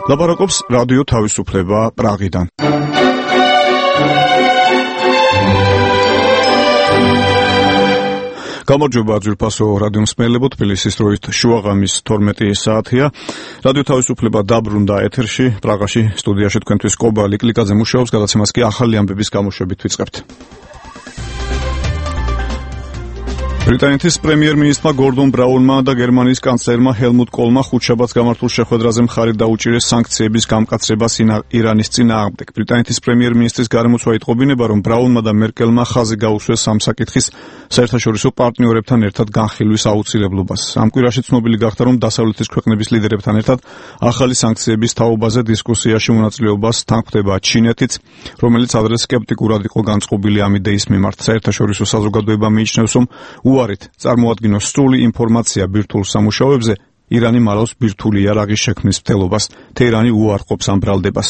ლაპარაკობს რადიო თავისუფლება პრაღიდან. გამარჯობა ძვირფასო რადიო მსმენელებო, თბილისის დროით შუაღამის 12 საათია. რადიო თავისუფლება დაბრუნდა ეთერში, პრაღაში სტუდიაში თქვენთვის კობა ლიკლიკაძე მუშაობს, გადაცემას კი ახალი ამბების გამოშვებით ვიწყებთ. ბრიტანეთის პრემიერ-მინისტრმა გორდონ ბრაუნმა და გერმანიის კანცლერმა ჰელმუტ კოლმა ხუთშაბათს გამართულ შეხვედრაზე მხარი დაუჭირეს სანქციების გამკაცრებას ირანის წინააღმდეგ. ბრიტანეთის პრემიერ-მინისტრის გარემოცვა იტყობინება, რომ ბრაუნმა და მერკელმა ხაზი გაუსვეს ამ საკითხის საერთაშორისო პარტნიორებთან ერთად განხილვის აუცილებლობას. ამ კვირაში ცნობილი გახდა, რომ დასავლეთის ქვეყნების ლიდერებთან ერთად ახალი სანქციების თაობაზე დისკუსიაში მონაწილეობას თანხმდება ჩინეთიც, რომელიც ადრე სკეპტიკურად იყო განწყობილი ამ იდეის მიმართ. საერთაშორისო საზოგადოება მიიჩნევს, რომ უარით წარმოადგინოს სრული ინფორმაცია ბირთვულ სამუშაოებზე, ირანი მალავს ბირთვული იარაღის შექმნის მცდელობას. თეირანი უარყოფს ამ ბრალდებას.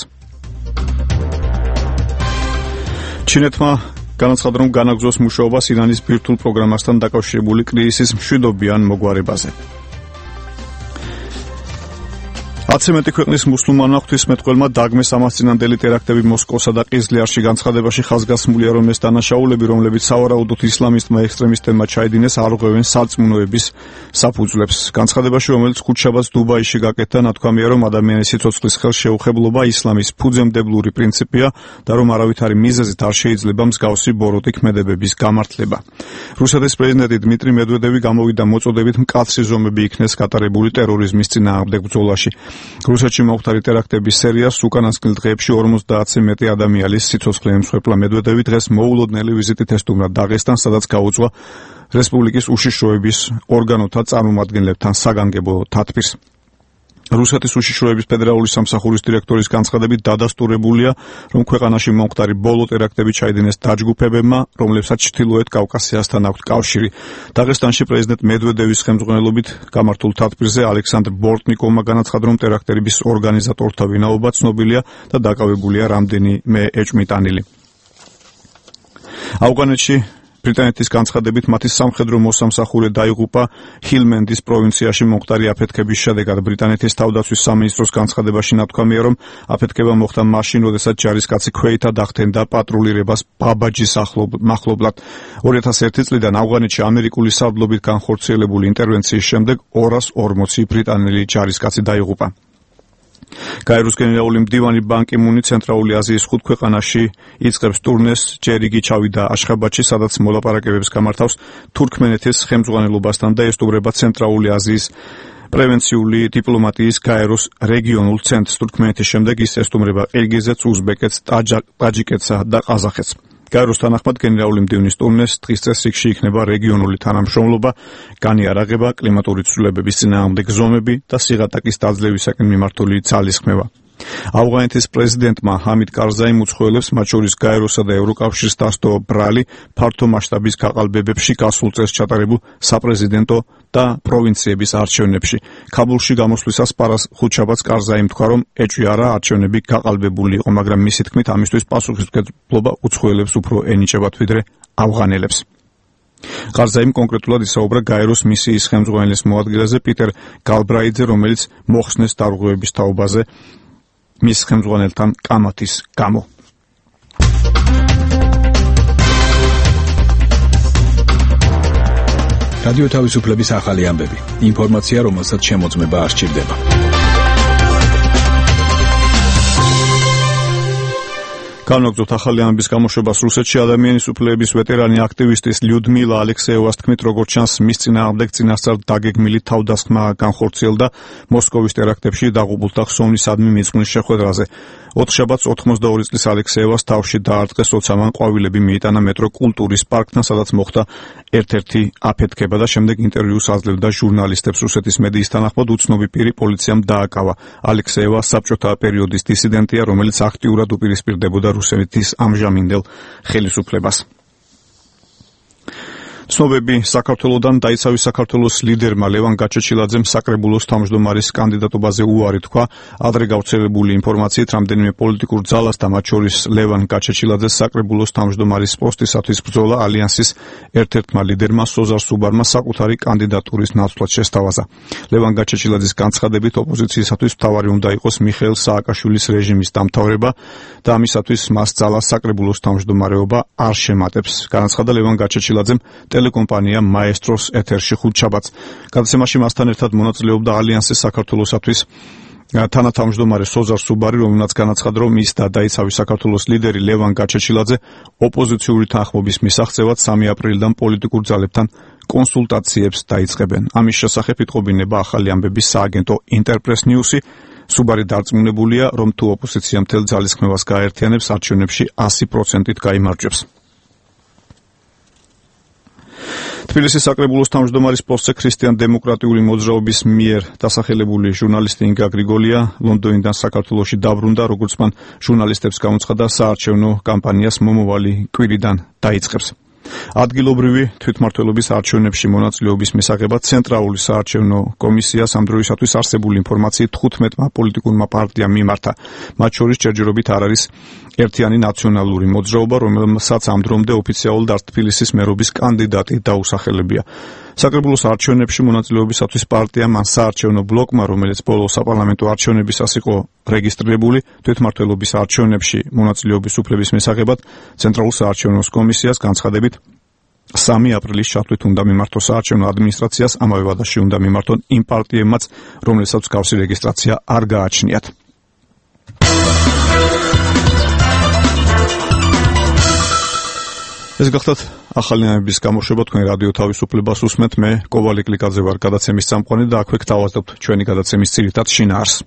ჩინეთმა განაცხადა, რომ განაგრძობს მუშაობას ირანის ბირთვულ პროგრამასთან დაკავშირებული კრიზისის მშვიდობიან მოგვარებაზე. 10 მეტი ქვეყნის მუსულმანმა ღვთისმეტყველმა დაგმეს ამასწინანდელი ტერაქტები მოსკოვსა და ყიზლიარში. განცხადებაში ხაზგასმულია, რომ ეს დანაშაულები, რომლებიც სავარაუდოდ ისლამისტმა ექსტრემისტებმა ჩაიდინეს, არ ღვევენ სარწმუნოების საფუძვლებს. განცხადებაში, რომელიც ხუთშაბათს დუბაიში გაკეთდა, ნათქვამია, რომ ადამიანის სიცოცხლის ხელშეუხებლობა ისლამის ფუძემდებლური პრინციპია და რომ არავითარი მიზეზით არ შეიძლება მსგავსი ბოროტი ქმედებების გამართლება. რუსეთის პრეზიდენტი დმიტრი მედვედევი გამოვიდა მოწოდებით მკაცრი ზომები იქნეს გატარებული ტერორიზმის წინააღმდეგ ბრძოლაში. რუსეთში მომხდარი ტერაქტების სერიას უკანასკნელ დღეებში 50-ზე მეტი ადამიანის სიცოცხლე ემსხვერპლა. მედვედევი დღეს მოულოდნელი ვიზიტით ესტუმრა დაღესტანს, სადაც გაუძღვა რესპუბლიკის უშიშროების ორგანოთა წარმომადგენლებთან საგანგებო თათბირს. რუსეთის უშიშროების ფედერალური სამსახურის დირექტორის განცხადებით დადასტურებულია, რომ ქვეყანაში მომხდარი ბოლო ტერაქტები ჩაიდინეს დაჯგუფებებმა, რომლებსაც ჩრდილოეთ კავკასიასთან აქვთ კავშირი. დაღესტანში პრეზიდენტ მედვედევის ხელმძღვანელობით გამართულ თათბირზე ალექსანდრ ბორტნიკოვმა განაცხადა, რომ ტერაქტების ორგანიზატორთა ვინაობა ცნობილია და დაკავებულია რამდენიმე ეჭვმიტანილი. ავღანეთში ბრიტანეთის განცხადებით მათი სამხედრო მოსამსახურე დაიღუპა ჰილმენდის პროვინციაში მომხდარი აფეთქების შედეგად. ბრიტანეთის თავდაცვის სამინისტროს განცხადებაში ნათქვამია, რომ აფეთქება მოხდა მაშინ, როდესაც ჯარისკაცი ქვეითად ახდენდა პატრულირებას ბაბაჯის მახლობლად. 2001 წლიდან ავღანეთში ამერიკული სარდლობით განხორციელებული ინტერვენციის შემდეგ 240 ბრიტანელი ჯარისკაცი დაიღუპა. გაეროს გენერალური მდივანი ბან კი მუნი ცენტრალური აზიის 5 ქვეყანაში იწყებს ტურნეს. ჯერ იგი ჩავიდა აშხაბადში, სადაც მოლაპარაკებებს გამართავს თურქმენეთის ხელმძღვანელობასთან და ესტუმრება ცენტრალური აზიის პრევენციული დიპლომატიის გაეროს რეგიონულ ცენტრს. თურქმენეთის შემდეგ ის ესტუმრება ყირგიზეთს, უზბეკეთს, ტაჯიკეთსა და ყაზახეთს. გაეროს თანახმად გენერალური მდივნის ტურნეს დღის წესრიგში იქნება რეგიონული თანამშრომლობა, განიარაღება, კლიმატური ცვლილებების წინააღმდეგ ზომები და სიღატაკის დაძლევისაკენ მიმართული ძალისხმევა. ავღანეთის პრეზიდენტმა ჰამიდ კარზაიმ უცხოელებს, მათ შორის გაეროსა და ევროკავშირს დასტოვა ბრალი ფართო მასშტაბის გაყალბებებში გასულ წელს ჩატარებულ საპრეზიდენტო და პროვინციების არჩევნებში. ქაბულში გამოსვლისას ხუთშაბათს კარზაიმ თქვა, რომ ეჭვი არა არჩევნები გაყალბებული იყო, მაგრამ მისი თქმით ამისთვის პასუხისმგებლობა უცხოელებს უფრო ენიჭებათ ვიდრე ავღანელებს. კარზაიმ კონკრეტულად ისაუბრა გაეროს მისიის ხელმძღვანელის მოადგილეზე პიტერ გალბრაიძე, რომელიც მოხსნეს დარღვევების თაობაზე მის ხელმძღვანელთან კამათის გამო. რადიო თავისუფლების ახალი ამბები. ინფორმაცია, რომელსაც შემოწმება არ სჭირდება. განვაგრძობთ ახალი ამბების გამოშვებას. რუსეთში ადამიანის უფლებების ვეტერანი აქტივისტის ლიუდმილა ალექსეევას თქმით, როგორც ჩანს, მის წინააღმდეგ წინასწარ დაგეგმილი თავდასხმა განხორციელდა მოსკოვის ტერაქტებში დაღუპულთა ხსოვნისადმი მიწვნის შეხვედრაზე. 4 შაბათს 82 წლის ალექსეევას თავში დაარტყეს, როცა მან ყვავილები მიიტანა მეტრო კულტურის პარკთან, სადაც მოხდა ერთ-ერთი აფეთქება და შემდეგ ინტერვიუს აძლევდა ჟურნალისტებს. რუსეთის მედიის თანახმად უცნობი პირი პოლიციამ დააკავა. ალექსეევა საბჭოთა პერიოდის დისიდენტია, რომელიც აქტიურად უპირისპირდებოდა რუსეთის ამჟამინდელ ხელისუფლებას. ცნობები საქართველოდან დაიცავის საქართველოს ლიდერმა ლევან გაჩეჩილაძემ საკრებულოს თავმჯდომარის კანდიდატობაზე უარი თქვა. ადრე გავრცელებული ინფორმაციით, რამდენიმე პოლიტიკურ ძალას და მათ შორის ლევან გაჩეჩილაძეს საკრებულოს თავმჯდომარის პოსტისათვის ბრძოლა ალიანსის ერთ-ერთმა ლიდერმა სოზარ სუბარმა საკუთარი კანდიდატურის ნაცვლად შესთავაზა. ლევან გაჩეჩილაძის განცხადებით, ოპოზიციისათვის მთავარი უნდა იყოს მიხეილ სააკაშვილის რეჟიმის დამთავრება და ამისათვის მას ძალას საკრებულოს თავმჯდომარეობა არ შემატებს. განაცხადა ლევან გაჩეჩილაძემ ტელეკომპანია მაესტროს ეთერში ხუთშაბათს. გადაცემაში მასთან ერთად მონაწილეობდა ალიანსის საქართველოსათვის თანათავმჯდომარე სოზარ სუბარი, რომელმაც განაცხადა, რომ ის და დაიცავის საქართველოს ლიდერი ლევან გაჩეჩილაძე ოპოზიციური თანხმობის მისაღწევად 3 აპრილიდან პოლიტიკურ ძალებთან კონსულტაციებს დაიწყებენ. ამის შესახებ იტყობინება ახალი ამბების სააგენტო ინტერპრეს ნიუსი. სუბარი დარწმუნებულია, რომ თუ ოპოზიცია მთელ ძალისხმევას გააერთიანებს, არჩევნებში 100%-ით გაიმარჯვებს. თბილისის საკრებულოს თავმჯდომარის პოსტზე ქრისტიან-დემოკრატიული მოძრაობის მიერ დასახელებული ჟურნალისტი ინგა გრიგოლია ლონდონიდან საქართველოში დაბრუნდა, როგორც მან ჟურნალისტებს გამოცხადა, საარჩევნო კამპანიას მომავალი კვირიდან დაიწყებს. ადგილობრივი თვითმმართველობის არჩევნებში მონაწილეობის მისაღებად ცენტრალური საარჩევნო კომისიას ამ დროისათვის არსებული ინფორმაციით 15-მა პოლიტიკურმა პარტიამ მიმართა. მათ შორის ჯერჯერობით არ არის ერთიანი ნაციონალური მოძრაობა, რომელსაც ამ დრომდე ოფიციალურად არც თბილისის მერობის კანდიდატი დაუსახელებია. საკრებულოს არჩევნებში მონაწილეობისათვის პარტიამ ან საარჩევნო ბლოკმა, რომელიც ბოლო საპარლამენტო არჩევნებისას იყო რეგისტრირებული, თვითმმართველობის არჩევნებში მონაწილეობის უფლების მისაღებად ცენტრალურ საარჩევნო კომისიას განცხადებით 3 აპრილის ჩათვლით უნდა მიმართოს საარჩევნო ადმინისტრაციას, ამავე ვადაში უნდა მიმართონ იმ პარტიებმაც, რომლებსაც მსგავსი რეგისტრაცია არ გააჩნიათ. ეს გახლავთ ახალი ამბების გამოშვება, თქვენ რადიო თავისუფლებას უსმენთ, მე კოვალი კლიკაძე ვარ გადაცემის წამყვანი და აქვე გთავაზობთ ჩვენი გადაცემის ძირითად შინაარსს.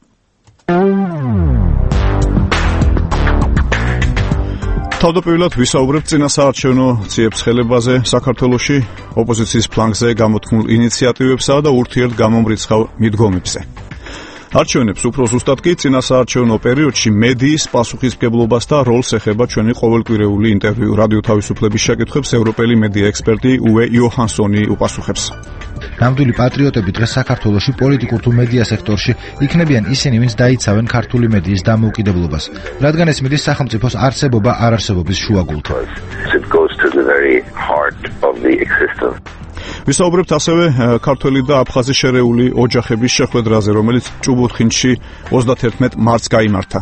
თავდაპირველად ვისაუბრებთ წინასაარჩევნო ციებ-ცხელებაზე საქართველოში, ოპოზიციის ფლანგზე გამოთქმულ ინიციატივებსა და ურთიერთგამომრიცხავ მიდგომებზე. არჩევნებს უფრო ზუსტად კი წინასაარჩევნო პერიოდში მედიის პასუხისმგებლობას და როლს ეხება ჩვენი ყოველკვირეული ინტერვიუ. რადიო თავისუფლების შეკითხვებს ევროპელი მედია ექსპერტი უე იოჰანსონი უპასუხებს. ნამდვილი პატრიოტები დღეს საქართველოში პოლიტიკურ თუ მედია სექტორში იქნებიან ისინი, ვინც დაიცავენ ქართული მედიის დამოუკიდებლობას, რადგან ეს მიდის სახელმწიფოს არსებობა არ-არსებობის შუაგულით. ვისაუბრებთ ასევე ქართველი და აფხაზი შერეული ოჯახების შეხვედრაზე, რომელიც ჭუბუთხინში 31 მარტს გაიმართა.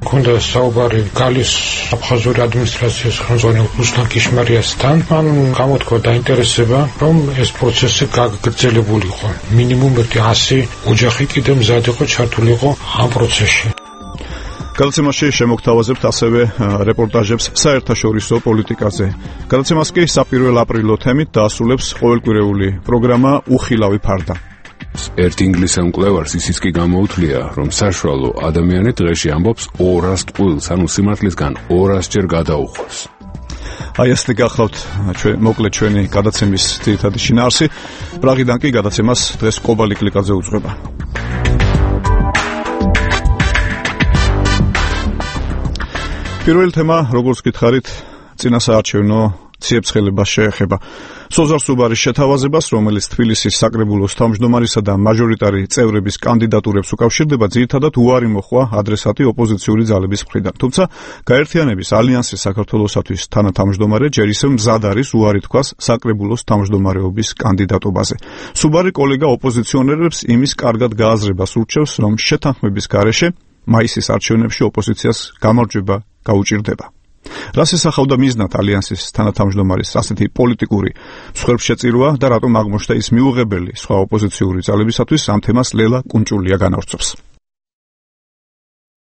ქონდა საუბარი გალის აფხაზური ადმინისტრაციის ხელმძღვანელ რუსლან კიშმარიასთან. მან გამოთქვა დაინტერესება, რომ ეს პროცესი გაგრძელებულიყო. მინიმუმ 100 ოჯახი კიდევ მზად იყო ჩართულიყო ამ პროცესში. გადაცემაში შემოგთავაზებთ ასევე რეპორტაჟებს საერთაშორისო პოლიტიკაზე. გადაცემას კი საპირველ აპრილო თემით დაასრულებს ყოველკვირეული პროგრამა უხილავი ფარდა. ერთ ინგლისელ მკვლევარს ისიც კი გამოუთვლია, რომ საშუალო ადამიანი დღეში ამბობს 200 ტყუილს, ანუ სიმართლისგან 200 ჯერ გადაუხვევს. აი ასე გახლავთ მოკლედ ჩვენი გადაცემის ძირითადი შინაარსი. პრაღიდან კი გადაცემას დღეს კობალი კლიკაძე უძღვება. პირველი თემა, როგორც გითხარით, წინასაარჩევნო ციებ-ცხელებას შეეხება. სოზარ სუბარის შეთავაზებას, რომელიც თბილისის საკრებულოს თავმჯდომარისა და მაჟორიტარი წევრების კანდიდატურებს უკავშირდება, ძირითადად უარი მოჰყვა ადრესატი ოპოზიციური ძალების მხრიდან. თუმცა, გაერთიანების ალიანსის საქართველოსათვის თანათავმჯდომარე ჯერ ისევ მზად არის უარი თქვას საკრებულოს თავმჯდომარეობის კანდიდატობაზე. სუბარი კოლეგა ოპოზიციონერებს იმის კარგად გააზრებას ურჩევს, რომ შეთანხმების გარეშე მაისის არჩევნებში ოპოზიციას გამარჯვება გაუჭირდება. რას ესახავდა მიზნად ალიანსის თანათავმჯდომარის ასეთი პოლიტიკური მსხვერპლშეწირვა და რატომ აღმოჩნდა ის მიუღებელი სხვა ოპოზიციური ძალებისათვის, ამ თემას ლელა კუნჭულია განავრცობს.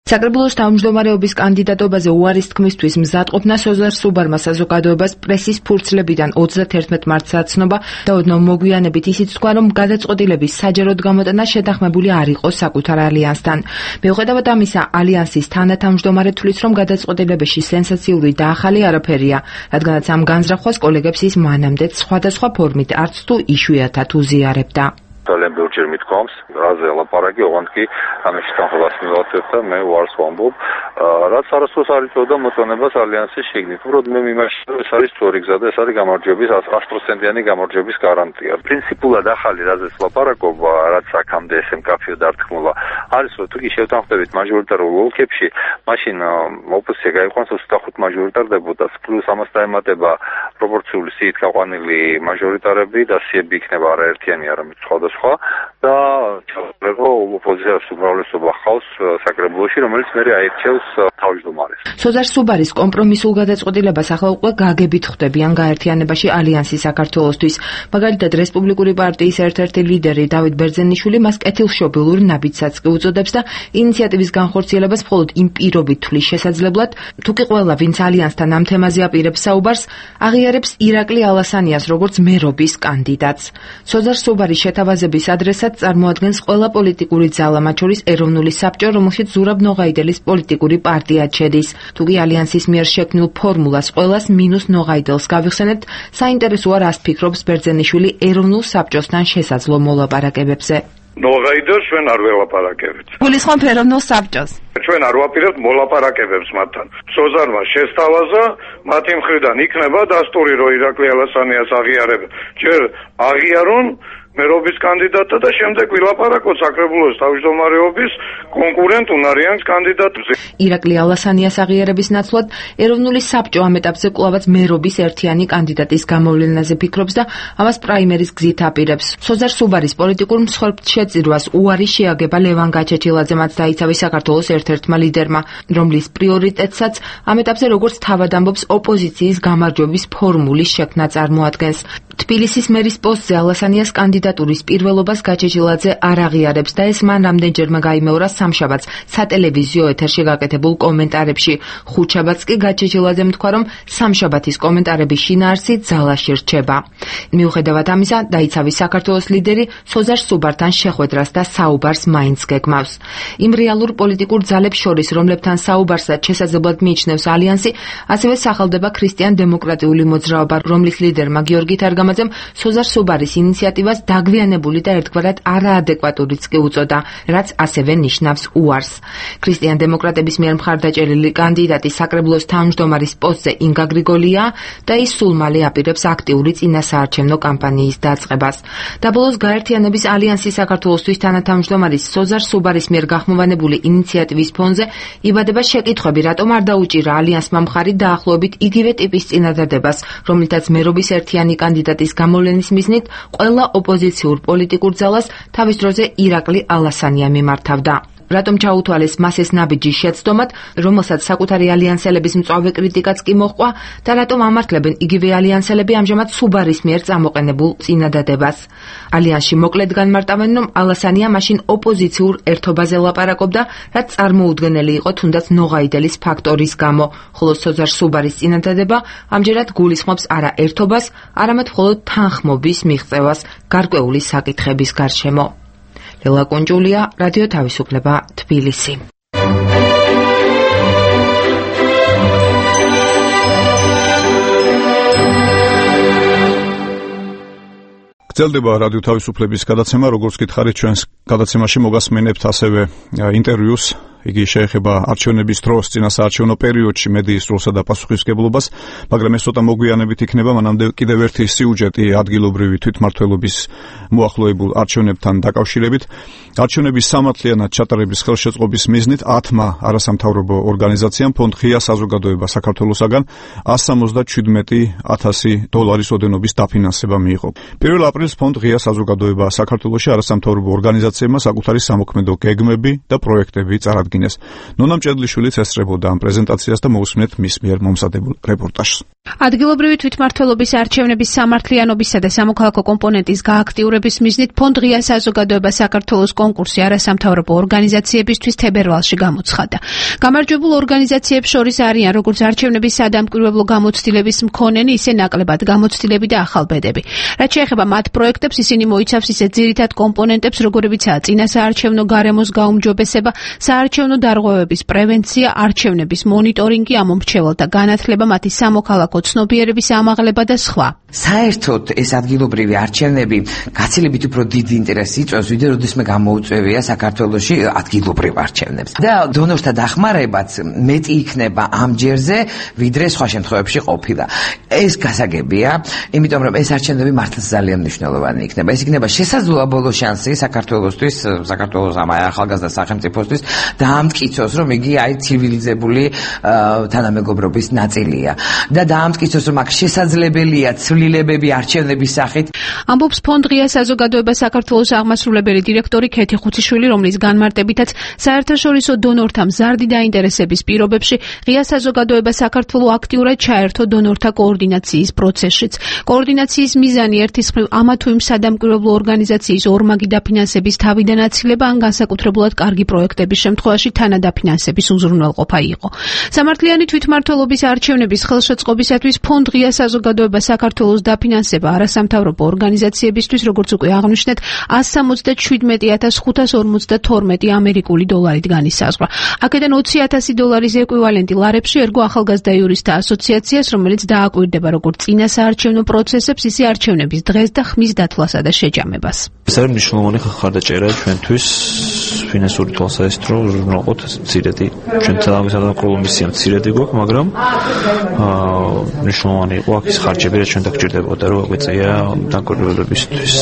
საკრებულოს თავმჯდომარეობის კანდიდატობაზე უარის თქმისთვის მზადყოფნა სოზარ სუბარმა საზოგადოებას პრესის ფურცლებიდან 31 მარტს აცნობა და ოდნავ მოგვიანებით ისიც თქვა, რომ გადაწყვეტილების საჯაროდ გამოტანა შეთანხმებული არ იყო საკუთარ ალიანსთან. მიუხედავად ამისა, ალიანსის თანათავმჯდომარე თვლის, რომ გადაწყვეტილებაში სენსაციური და ახალი არაფერია, რადგანაც ამ განზრახვას კოლეგებს ის მანამდეც სხვადასხვა ფორმით არც თუ იშვიათად უზიარებდა. ჯერ მithქვამს, რაზე ელაპარაკი, ოღონდ კი ამაში თანხმობას მივაწევ და მე უარს ვამბობ, რაც არასდროს არ იწვევდა მოწონებას ალიანსის შიგნით. უბრალოდ მე მიმაჩნია, რომ ეს არის სწორი გზა და ეს არის გამარჯვების 100%-იანი გამარჯვების გარანტია. პრინციპულად ახალი რაზეც ლაპარაკობ, რაც აქამდე ესე მკაფიო დართმულა, არის რომ თუ კი შევთანხმდებით მაჟორიტარულ ოლქებში, მაშინ ოპოზიცია გაიყვანს 25 მაჟორიტარდებოდას, პლუს ამას დაემატება პროპორციული სიით გაყვანილი მაჟორიტარები და სიები იქნება არაერთიანი, არამედ სხვადასხვა და ჩავწერო ოპოზიციას უმრავლესობა ხავს საკრებულოში, რომელიც მერე აირჩევს თავმჯდომარეს. სოზარ სუბარის კომპრომისულ გადაწყვეტილებას ახლა უკვე გაგებით ხვდებიან გაერთიანებაში ალიანსი საქართველოსთვის. მაგალითად, რესპუბლიკური პარტიის ერთ-ერთი ლიდერი დავით ბერძენიშვილი მას კეთილშობილურ ნაბიჯსაც კი უწოდებს და ინიციატივის განხორციელებას მხოლოდ იმ პირობით თვლის შესაძლებლად, თუ კი ყველა, ვინც ალიანსთან ამ თემაზე აპირებს საუბარს, აღიარებს ირაკლი ალასანიას როგორც მერობის კანდიდატს. სოზარ სუბარის შეთავაზების ადრესად წარმოადგენს ყველა პოლიტიკური ძალა, მათ შორის ეროვნული საბჭო, რომელშიც ზურაბ ნოღაიდელის პოლიტიკური პარტია ჩედის. თუ კი ალიანსის მიერ შექმნილ ფორმულას ყველას მინუს ნოღაიდელს გავიხსენებთ, საინტერესოა რას ფიქრობს ბერძენიშვილი ეროვნულ საბჭოსთან შესაძლო მოლაპარაკებებზე. ნოღაიდელს ჩვენ არ ველაპარაკებთ. გულისხმობ ეროვნულ საბჭოს. ჩვენ არ ვაპირებთ მოლაპარაკებებს მათთან. სოზარმა შესთავაზა, მათი მხრიდან იქნება დასტური, რომ ირაკლი ალასანიას აღიარებენ. ჯერ აღიარონ მერობის კანდიდატა და შემდეგ ვილაპარაკოთ საკრებულოს თავმჯდომარეობის კონკურენტ უნარიან კანდიდატებზე. ირაკლი ალასანიას აღიარების ნაცვლად ეროვნული საბჭო ამ ეტაპზე კვლავაც მერობის ერთიანი კანდიდატის გამოვლენაზე ფიქრობს და ამას პრაიმერის გზით აპირებს. სოზარ სუბარის პოლიტიკურ მსხვერპლშეწირვას უარი შეაგება ლევან გაჩეჩილაძემ დაიცავის საქართველოს ერთ-ერთმა ლიდერმა, რომლის პრიორიტეტსაც ამ ეტაპზე როგორც თავად ამბობს ოპოზიციის გამარჯვების ფორმულის შექმნა წარმოადგენს. თბილისის მერის პოსტზე ალასანიას კანდიდატურის პირველობას გაჩეჩილაძე არ აღიარებს და ეს მან რამდენჯერმე გაიმეორა სამშაბათს სატელევიზიო ეთერში გაკეთებულ კომენტარებში. ხუთშაბათს კი გაჩეჩილაძემ თქვა, რომ სამშაბათის კომენტარების შინაარსი ძალაში რჩება. მიუხედავად ამისა, დაიცავის საქართველოს ლიდერი სოზარ სუბართან შეხვედრას და საუბარს მაინც გეგმავს. იმ რეალურ პოლიტიკურ ძალებს შორის, რომლებთან საუბარსაც შესაძლებლად მიიჩნევს ალიანსი, ასევე სახელდება ქრისტიან-დემოკრატიული მოძრაობა, რომლის ლიდერმა გიორგი თარგამაძემ სოზარ სუბარის ინიციატივას დაგვიანებული და ერთგვარად არაადეკვატურიც კი უწოდა, რაც ასევე ნიშნავს უარს. ქრისტიან-დემოკრატების მიერ მხარდაჭერილი კანდიდატი საკრებულოს თავმჯდომარის პოსტზე ინგა გრიგოლია და ის სულ მალე აპირებს აქტიური წინასაარჩევნო კამპანიის დაწყებას. დაბოლოს გაერთიანების ალიანსის საქართველოსთვის თანათავმჯდომარის სოზარ სუბარის მიერ გახმოვანებული ინიციატივის ფონზე იბადება შეკითხვები, რატომ არ დაუჭირა ალიანსმა მხარი დაახლოებით იგივე ტიპის წინადადებას, რომლითაც მერობის ერთიანი კანდიდატის გამოვლენის მიზნით ყველა ოპოზიციურ პოლიტიკურ ძალას თავის დროზე ირაკლი ალასანია მიმართავდა. რატომ ჩაუთვალეს მას ეს ნაბიჯი შეცდომად, რომელსაც საკუთარი ალიანსელების მწვავე კრიტიკაც კი მოჰყვა და რატომ ამართლებენ იგივე ალიანსელები ამჟამად სუბარის მიერ წამოყენებულ წინადადებას. ალიანსში მოკლედ განმარტავენ, რომ ალასანია მაშინ ოპოზიციურ ერთობაზე ლაპარაკობდა, რაც წარმოუდგენელი იყო თუნდაც ნოღაიდელის ფაქტორის გამო, ხოლო სოზარ სუბარის წინადადება ამჯერად გულისხმობს არა ერთობას, არამედ მხოლოდ თანხმობის მიღწევას გარკვეული საკითხების გარშემო. ლელა კონჯულია, რადიო თავისუფლება, თბილისი. გრძელდება რადიო თავისუფლების გადაცემა, როგორც გითხარით, ჩვენს გადაცემაში მოგასმენებთ ასევე ინტერვიუს. იგი შეეხება არჩევნების დროს, წინასაარჩევნო პერიოდში მედიის როლსა და პასუხისმგებლობას, მაგრამ ეს ცოტა მოგვიანებით იქნება, მანამდე კიდევ ერთი სიუჟეტი ადგილობრივი თვითმმართველობის მოახლოებულ არჩევნებთან დაკავშირებით. არჩევნების სამართლიანად ჩატარების ხელშეწყობის მიზნით 10-მა არასამთავრობო ორგანიზაციამ ფონდ ღია საზოგადოება საქართველოსაგან $177,000 ოდენობის დაფინანსება მიიღო. 1 აპრილს ფონდ ღია საზოგადოება საქართველოში არასამთავრობო ორგანიზაციებმა საკუთარი სამოქმედო გეგმები და პროექტები წარადგინეს. ნონა მჭედლიშვილიც ესწრებოდა ამ პრეზენტაციას და მოусმინეთ მის მიერ მომზადებულ რეპორტაჟს. ადგილობრივი თვითმმართველობის არჩევნების სამართლიანობისა და სამოქალაქო კომპონენტის გააქტიურების მიზნით ფონდ ღია საზოგადოება საქართველოს კონკურსი არასამთავრობო ორგანიზაციებისთვის თებერვალში გამოცხადა. გამარჯვებულ ორგანიზაციებს შორის არიან როგორც არჩევნების სადამკვირვებლო გამოცდილების მქონენი, ისე ნაკლებად გამოცდილები და ახალბედები. რაც შეეხება მათ პროექტებს, ისინი მოიცავს ისეთ ძირითად კომპონენტებს, როგორებიცაა წინასაარჩევნო გარემოს გაუმჯობესება, საარჩევნო საარჩევნო დარღვევების პრევენცია, არჩევნების მონიტორინგი, ამომრჩეველთა განათლება, მათი სამოქალაქო ცნობიერების ამაღლება და სხვა. საერთოდ ეს ადგილობრივი არჩევნები გაცილებით უფრო დიდი ინტერესს იწვევს, ვიდრე როდესაც გამოუწევია საქართველოში ადგილობრივ არჩევნებს. და დონორთა დახმარებაც მეტი იქნება ამ ჯერზე, ვიდრე სხვა შემთხვევებში ყოფილა. ეს გასაგებია, იმიტომ რომ ეს არჩევნები მართლაც ძალიან მნიშვნელოვანი იქნება. ეს იქნება შესაძლოა შანსი საქართველოსთვის, საქართველოს ამ ახალგაზრდა სახელმწიფოსთვის დაამტკიცოს, რომ იგი ცივილიზებული თანამეგობრობის ნაწილია და დაამტკიცოს, რომ აქ შესაძლებელია ცვლილებები არჩევნების სახით. ამბობს ფონდ ღია საზოგადოება საქართველოს აღმასრულებელი დირექტორი ქეთი ხუციშვილი, რომლის განმარტებითაც საერთაშორისო დონორთა მზარდი დაინტერესების პირობებში ღია საზოგადოება საქართველოს აქტიურად ჩაერთო დონორთა კოორდინაციის პროცესშიც. კოორდინაციის მიზანი ერთის მხრივ ამა თუ იმ სადამკვირვებლო ორგანიზაციის ორმაგი დაფინანსების თავიდან აცილება, ან განსაკუთრებულად კარგი პროექტების შემთხვევაში თანადაფინანსების უზრუნველყოფა იყო. სამართლიანი თვითმმართველობის არჩევნების ხელშეწყობისათვის ფონდ ღია საზოგადოება საქართველოს დაფინანსება არასამთავრობო ორგანიზაციებისთვის, როგორც უკვე აღნიშნეთ, 177,552 ამერიკული დოლარით განისაზღვრა. აქედან 20,000 დოლარის ეკვივალენტი ლარებში ერგო ახალგაზრდა იურისტთა ასოციაციას, რომელიც დააკვირდება როგორც წინა საარჩევნო პროცესებს, ისე არჩევნების დღეს და ხმის დათვლასა და შეჯამებას. ეს არის მნიშვნელოვანი ხარდაჭერა ჩვენთვის ფინანსური თვალსაზრისით, რომ უზრუნველყოთ მცირედი. ჩვენ თანამედროვე მისია მცირედი გვაქვს, მაგრამ მნიშვნელოვანი იყო აქ ის ხარჯები, რაც ჩვენ დაგჭირდებოდა, რომ გვეწია დაკვირვებებისთვის,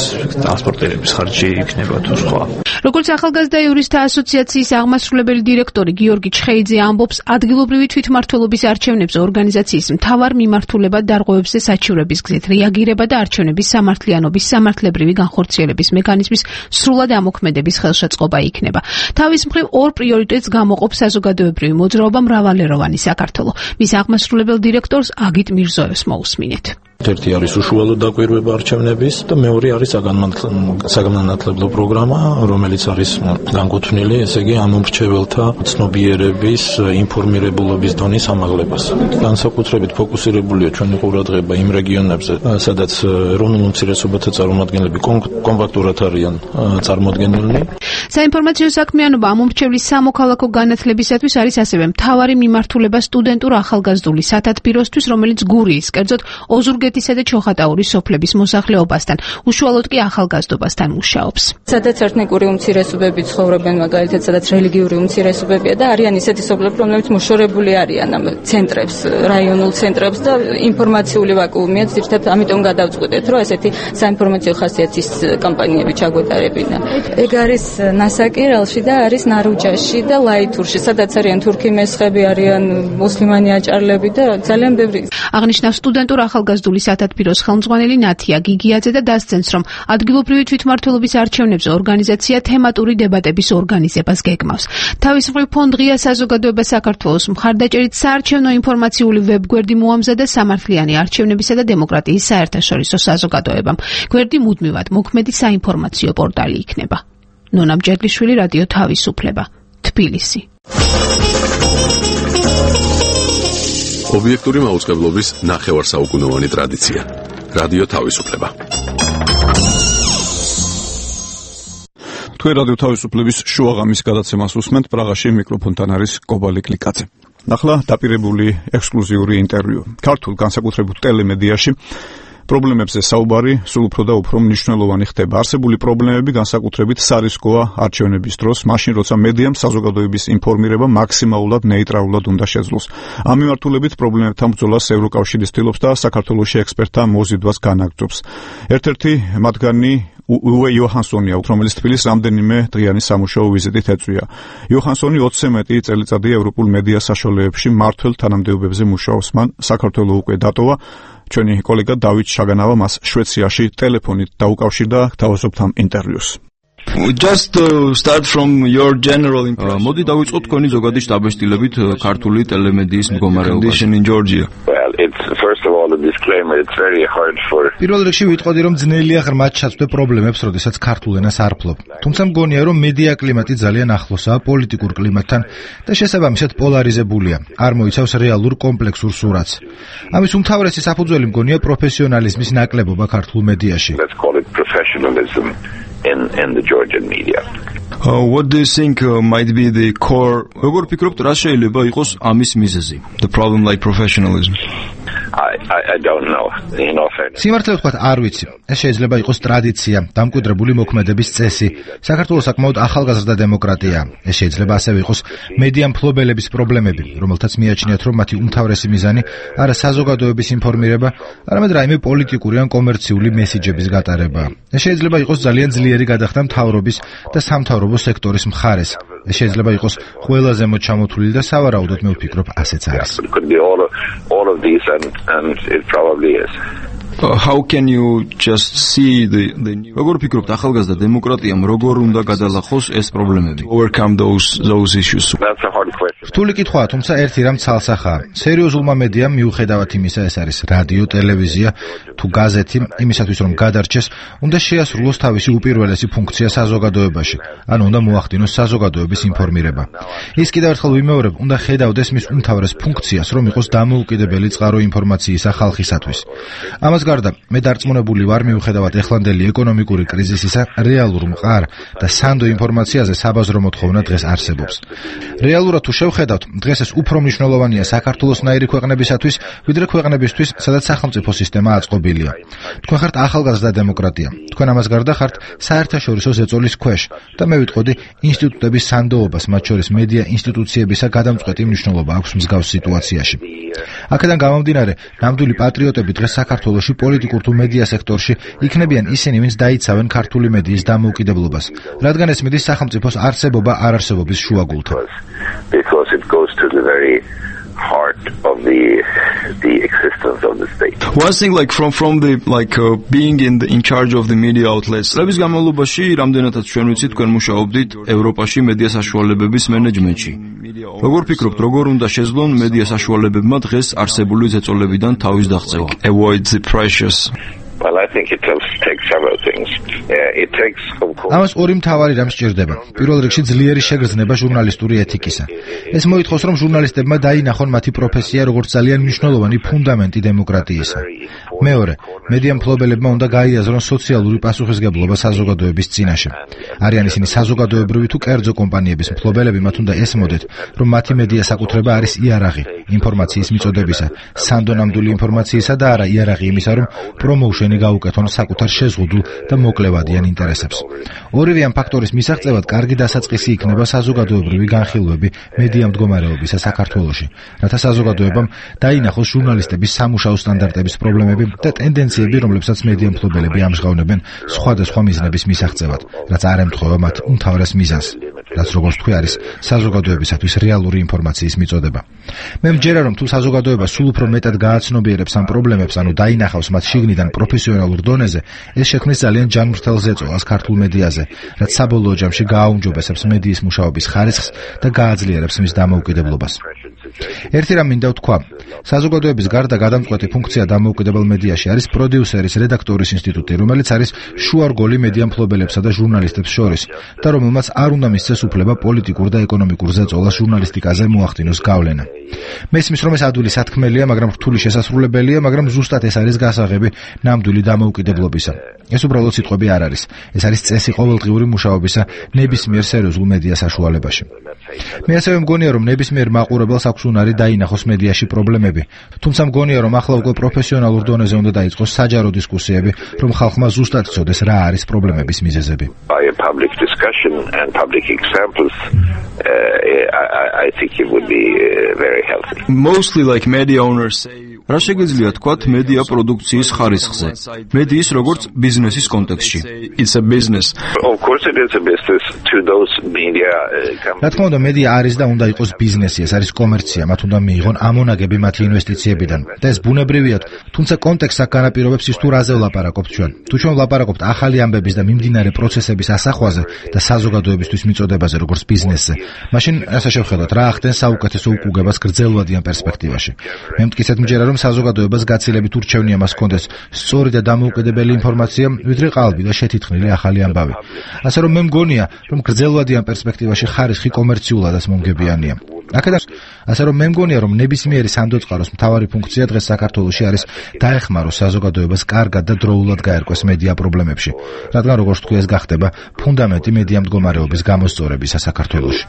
ტრანსპორტირების ხარჯი იქნება თუ სხვა. როგორც ახალგაზრდა იურისტთა ასოციაციის აღმასრულებელი დირექტორი გიორგი ჩხეიძე ამბობს, ადგილობრივი თვითმმართველობის არჩევნებზე ორგანიზაციის მთავარ მიმართულებად დარღვევებზე საჩივრების გზით რეაგირება და არჩევნების სამართლიანობის სამართლებრივი განხორციელების მექანიზმის სრულად ამოქმედების ხელშეწყობა იქნება. თავის მხრივ ორ პრიორიტეტს გამოყოფს საზოგადოებრივი მოძრაობა მრავალეროვანი საქართველო. მის აღმასრულებელ დირექტორს აგიტ მირზოევს მოусმინეთ. ერთი არის უშუალო დაკვირვება არჩევნების და მეორე არის საგანმანათლებლო პროგრამა, რომელიც არის განკუთვნილი, ესე იგი ამომრჩეველთა ცნობიერების, ინფორმირებულობის დონის ამაღლებას. განსაკუთრებით ფოკუსირებულია ჩვენი ყურადღება იმ რეგიონებზე, სადაც ეროვნულ უმცირესობათა წარმომადგენლები კომპაქტურად არიან წარმოდგენილნი. საინფორმაციო საქმიანობა ამომრჩევლის სამოქალაქო განათლებისათვის არის ასევე მთავარი მიმართულება სტუდენტურ ახალგაზრდული სათათბიროსთვის, რომელიც გურიის, კერძოდ ოზურგეთისა და ჩოხატაურის სოფლების მოსახლეობასთან, უშუალოდ კი ახალგაზრდობასთან მუშაობს. სადაც ეთნიკური უმცირესობები ცხოვრობენ, მაგალითად, სადაც რელიგიური უმცირესობებია და არიან ისეთი სოფლები, რომლებიც მოშორებული არიან ამ ცენტრებს, რაიონულ ცენტრებს და ინფორმაციული ვაკუუმია, ზოგადად ამიტომ გადავწყვიტეთ, რომ ესეთი საინფორმაციო ხასიათის კამპანიები ჩაგვეტარებინა. ეგ არის ნასაკირალში და არის ნარუჯაში და ლაითურში, სადაც არიან თურქი მესხები, არიან მუსლიმანი აჭარლები და ძალიან ბევრი. აღნიშნავს სტუდენტურ ახალგაზრდული სათათბიროს ხელმძღვანელი ნათია გიგიაძე და დასცენს, რომ ადგილობრივი თვითმმართველობის არჩევნებზე ორგანიზაცია თემატური დებატების ორგანიზებას გეგმავს. თავის მხრივ ფონდ ღია საზოგადოება საქართველოს მხარდაჭერით საარჩევნო ინფორმაციული ვებგვერდი მოამზადა სამართლიანი არჩევნებისა და დემოკრატიის საერთაშორისო საზოგადოებამ. გვერდი მუდმივად მოქმედი საინფორმაციო პორტალი იქნება. ნონა მჯედლიშვილი, რადიო თავისუფლება, თბილისი. ობიექტური მაუწყებლობის ნახევარსაუკუნოვანი ტრადიცია. რადიო თავისუფლება. თქვენ რადიო თავისუფლების შუაღამის გადაცემას უსმენთ, პრაღაში მიკროფონთან არის კობალი კლიკაძე. ახლა დაპირებული ექსკლუზიური ინტერვიუ. ქართულ განსაკუთრებულ ტელემედიაში პრობლემებზე საუბარი სულ უფრო და უფრო მნიშვნელოვანი ხდება. არსებული პრობლემები განსაკუთრებით სარისკოა არჩევნების დროს, მაშინ როცა მედიამ საზოგადოების ინფორმირება მაქსიმალურად ნეიტრალურად უნდა შეძლოს. ამ მიმართულებით პრობლემებთან ბრძოლას ევროკავშირი ცდილობს და საქართველოში ექსპერტთა მოზიდვას განაგრძობს. ერთ-ერთი მათგანი უე იოჰანსონია, რომელიც თბილისს რამდენიმე დღიანი სამუშაო ვიზიტით ეწვია. იოჰანსონი 20-ზე მეტი წელიწადია ევროპულ მედია საშუალებებში მმართველ თანამდებობებზე მუშაობს. მან საქართველო უკვე დატოვა. ჩვენი კოლეგა დავით შაგანავა მას შვეიცარიაში ტელეფონით დაუკავშირდა, თავაზობთ ამ ინტერვიუს. მოდი დავიწყოთ თქვენი ზოგადი შტაბ-შტილებით ქართული ტელემედიის მდგომარეობაში. პირველ რიგში ვიტყოდი, რომ ძნელია ღრმად ჩაცვდე პრობლემებს, როდესაც ქართულ ენას არ ფლობ. თუმცა მგონია, რომ მედია კლიმატი ძალიან ახლოსაა პოლიტიკურ კლიმატთან და შესაბამისად პოლარიზებულია. არ მოიცავს რეალურ კომპლექსურ სურათს. ამის უმთავრესი საფუძველი მგონია პროფესიონალიზმის ნაკლებობა ქართულ მედიაში. In the Georgian media. What do you think might be the core? როგორ ფიქრობთ, რა შეიძლება იყოს ამის მიზეზი? The problem like professionalism. I don't know. სიმართლე ვთქვათ, არ ვიცი. ეს შეიძლება იყოს ტრადიცია, დამკვიდრებული მოქმედების წესი. საქართველოს საკმაოდ ახალგაზრდა დემოკრატია. ეს შეიძლება ასევე იყოს მედია მფლობელების პრობლემები, რომელთაც მიაჩნიათ, რომ მათი უმთავრესი მიზანი არა საზოგადოების ინფორმირება, არამედ რაიმე პოლიტიკური ან კომერციული მესიჯების გატარება. ეს შეიძლება იყოს ძალიან ძლიერი გადახდა მთავრობის და სამთავრობო სექტორის მხარეს. ეს შეიძლება იყოს ყველა ზემოთ ჩამოთვლილი და სავარაუდოდ მე ვფიქრობ, ასეც არის. All of these and it probably is. How can you just see the როგორ ფიქრობთ, ახალგაზრდა დემოკრატიამ როგორ უნდა გადალახოს ეს პრობლემები? Overcome those issues. That's a hard question. რთული კითხვაა, თუმცა ერთი რამ ცალსახაა. სერიოზულმა მედიამ მიუხედავად იმისა, ეს არის რადიო, ტელევიზია თუ გაზეთი, იმისათვის რომ გადარჩეს, უნდა შეასრულოს თავისი უპირველესი ფუნქცია საზოგადოებაში, ანუ უნდა მოახდინოს საზოგადოების ინფორმირება. ის კიდევ ერთხელ ვიმეორებ, უნდა ხედავდეს მის უმთავრეს ფუნქციას, რომ იყოს დამოუკიდებელი წყარო ინფორმაციისა ხალხისათვის. ამას გარდა, მე დარწმუნებული ვარ, მიუხედავად ეხლანდელი ეკონომიკური კრიზისისა, რეალურ მყარ და სანდო ინფორმაციაზე საბაზრო მოთხოვნა დღეს არსებობს. რეალურად თუ შევხედავთ, დღეს ეს უფრო მნიშვნელოვანია საქართველოსნაირი ქვეყნებისათვის, ვიდრე ქვეყნებისთვის, სადაც სახელმწიფო სისტემა აწყობილია. თქვენ ხართ ახალგაზრდა დემოკრატია. თქვენ ამას გარდა ხართ საერთაშორისო ზეწოლის ქვეშ და მე ვიტყოდი, ინსტიტუტების სანდოობას, მათ შორის მედია ინსტიტუციებისა გადამწყვეტი მნიშვნელობა აქვს მსგავს სიტუაციაში. აქედან გამომდინარე, ნამდვილი პატრიოტები დღეს საქართველოში პოლიტიკურ თუ მედია სექტორში იქნებიან ისინი, ვინც დაიცავენ ქართული მედიის დამოუკიდებლობას, რადგან ეს მიდის სახელმწიფოს არსებობა არ-არსებობის შუაგულთან. Because it goes to the very heart of the existence of the state. One thing like from the being in charge of the media outlets. Ლების განმავლობაში რამდენადაც ჩვენ ვიცით, თქვენ მუშაობდით ევროპაში მედია საშუალებების მენეჯმენტში. როგორ ფიქრობთ, როგორ უნდა შეძლონ მედია საშუალებებმა დღეს არსებული ზეწოლებიდან თავის დაღწევა? Avoid the pressures. Well, I think it takes several things. It takes ამას ორი მთავარი რამ სჭირდება. პირველ რიგში ძლიერი შეგრძნება ჟურნალისტური ეთიკისა. ეს მოითხოვს, რომ ჟურნალისტებმა დაინახონ მათი პროფესია როგორც ძალიან მნიშვნელოვანი ფუნდამენტი დემოკრატიისა. მეორე, მედია მფლობელებმა უნდა გაიაზრონ სოციალური პასუხისგებლობა საზოგადოების წინაშე. არიან ისინი საზოგადოებრივი თუ კერძო კომპანიების მფლობელები, მათ უნდა ესმოდეთ, რომ მათი მედია საკუთრება არის იარაღი ინფორმაციის მიწოდებისა, სანდონამდული ინფორმაციისა და არა იარაღი იმისა, რომ პრომოუშენი გაუკეთონ საკუთარ შეზღუდულ და მოკლევადიან ინტერესებს. ორივე ამ ფაქტორის მისაღწევად კარგი დასაწყისი იქნება საზოგადოებრივი განხილვები მედია მდგომარეობისა საქართველოში, რათა საზოგადოებამ დაინახოს ჟურნალისტების სამუშაო სტანდარტების პრობლემები და ტენდენციები, რომლებსაც მედია მფლობელები ამჟღავნებენ სხვადასხვა მიზნების მისაღწევად, რაც არ ემთხვევა მათ უმთავრეს მიზანს, რაც როგორც თქვი არის საზოგადოებისათვის რეალური ინფორმაციის მიწოდება. მე მჯერა, რომ თუ საზოგადოება სულ უფრო მეტად გააცნობიერებს ამ პრობლემებს, ანუ დაინახავს მათ შიგნიდან პროფესიონალურ დონეზე, ეს შექმნის ძალიან ჯანმრთელ ზეწოლას ქართულ მედიაზე, რაც საბოლოო ჯამში გააუმჯობესებს მედიის მუშაობის ხარისხს და გააძლიერებს მის დამოუკიდებლობას. ერთი რამ მინდა ვთქვა, საზოგადოების გარდა გადამწყვეტი ფუნქცია დამოუკიდებელ მედიაში არის პროდიუსერის რედაქტორის ინსტიტუტი, რომელიც არის შუარგოლი მედია მფლობელებსა და ჟურნალისტებს შორის და რომელმაც არ უნდა მისცეს უფლება პოლიტიკურ და ეკონომიკურ ზეწოლას ჟურნალისტიკაზე მოახდინოს გავლენა. მესმის, რომ ეს ადვილი სათქმელია, მაგრამ რთული შესასრულებელია, მაგრამ ზუსტად ეს არის გასაღები ნამდვილი დამოუკიდებლობისა. ეს უბრალოდ სიტყვები არ არის. ეს არის წესი ყოველდღიური მუშაობისა ნებისმიერ სერიოზულ მედია საშუალებაში. მე ასევე მგონია, რომ ნებისმიერ მაყურებელს აქვს უნარი დაინახოს მედიაში პრობლემები, თუმცა მგონია, რომ ახლა უკვე პროფესიონალურ დონეზე უნდა დაიწყოს საჯარო დისკუსიები, რომ ხალხმა ზუსტად იცოდეს რა არის პრობლემების მიზეზები. By a public discussion and public examples, I think it would be very healthy. Mostly like media owners say რა შეგვიძლია თქვათ მედია პროდუქციის ხარისხზე, მედიის როგორც ბიზნესის კონტექსტში. It's a business. Of course it is a business to those media რა თქმა უნდა, მედია არის და უნდა იყოს ბიზნესი, ეს არის კომერცია, მათ უნდა მიიღონ ამონაგები მათი ინვესტიციებიდან. და ეს ბუნებრივია, თუმცა კონტექსტს აქ განაპირობებს ის თუ რაზე ვლაპარაკობთ ჩვენ. თუ ჩვენ ვლაპარაკობთ ახალი ამბების და მიმდინარე პროცესების ასახვაზე და საზოგადოებისთვის მიწოდებაზე როგორც ბიზნესზე, მაშინ ასე შევხედოთ, რა ახდენს საუკეთესო უკუგებას გრძელვადიან პერსპექტივაში. მე მტკიცედ მჯერა, რომ რომ საზოგადოებას გაცილებით ურჩევნია მას კონდეს სწორი და დამოუკიდებელი ინფორმაცია, ვიდრე ყალბი და შეთითქმული ახალი ამბავი. ასე რომ მე მგონია, რომ გრძელვადიან პერსპექტივაში ხარისხი კომერციულადაც მომგებიანია. ასე რომ მე მგონია, რომ ნებისმიერი სამდოწყაროს მთავარი ფუნქცია დღეს საქართველოში არის დაეხმაროს საზოგადოებას კარგად და დროულად გაერკვეს მედია პრობლემებში, რადგან როგორც თქვი ეს გახდება ფუნდამენტი მედია მდგომარეობის გამოსწორებისა საქართველოში.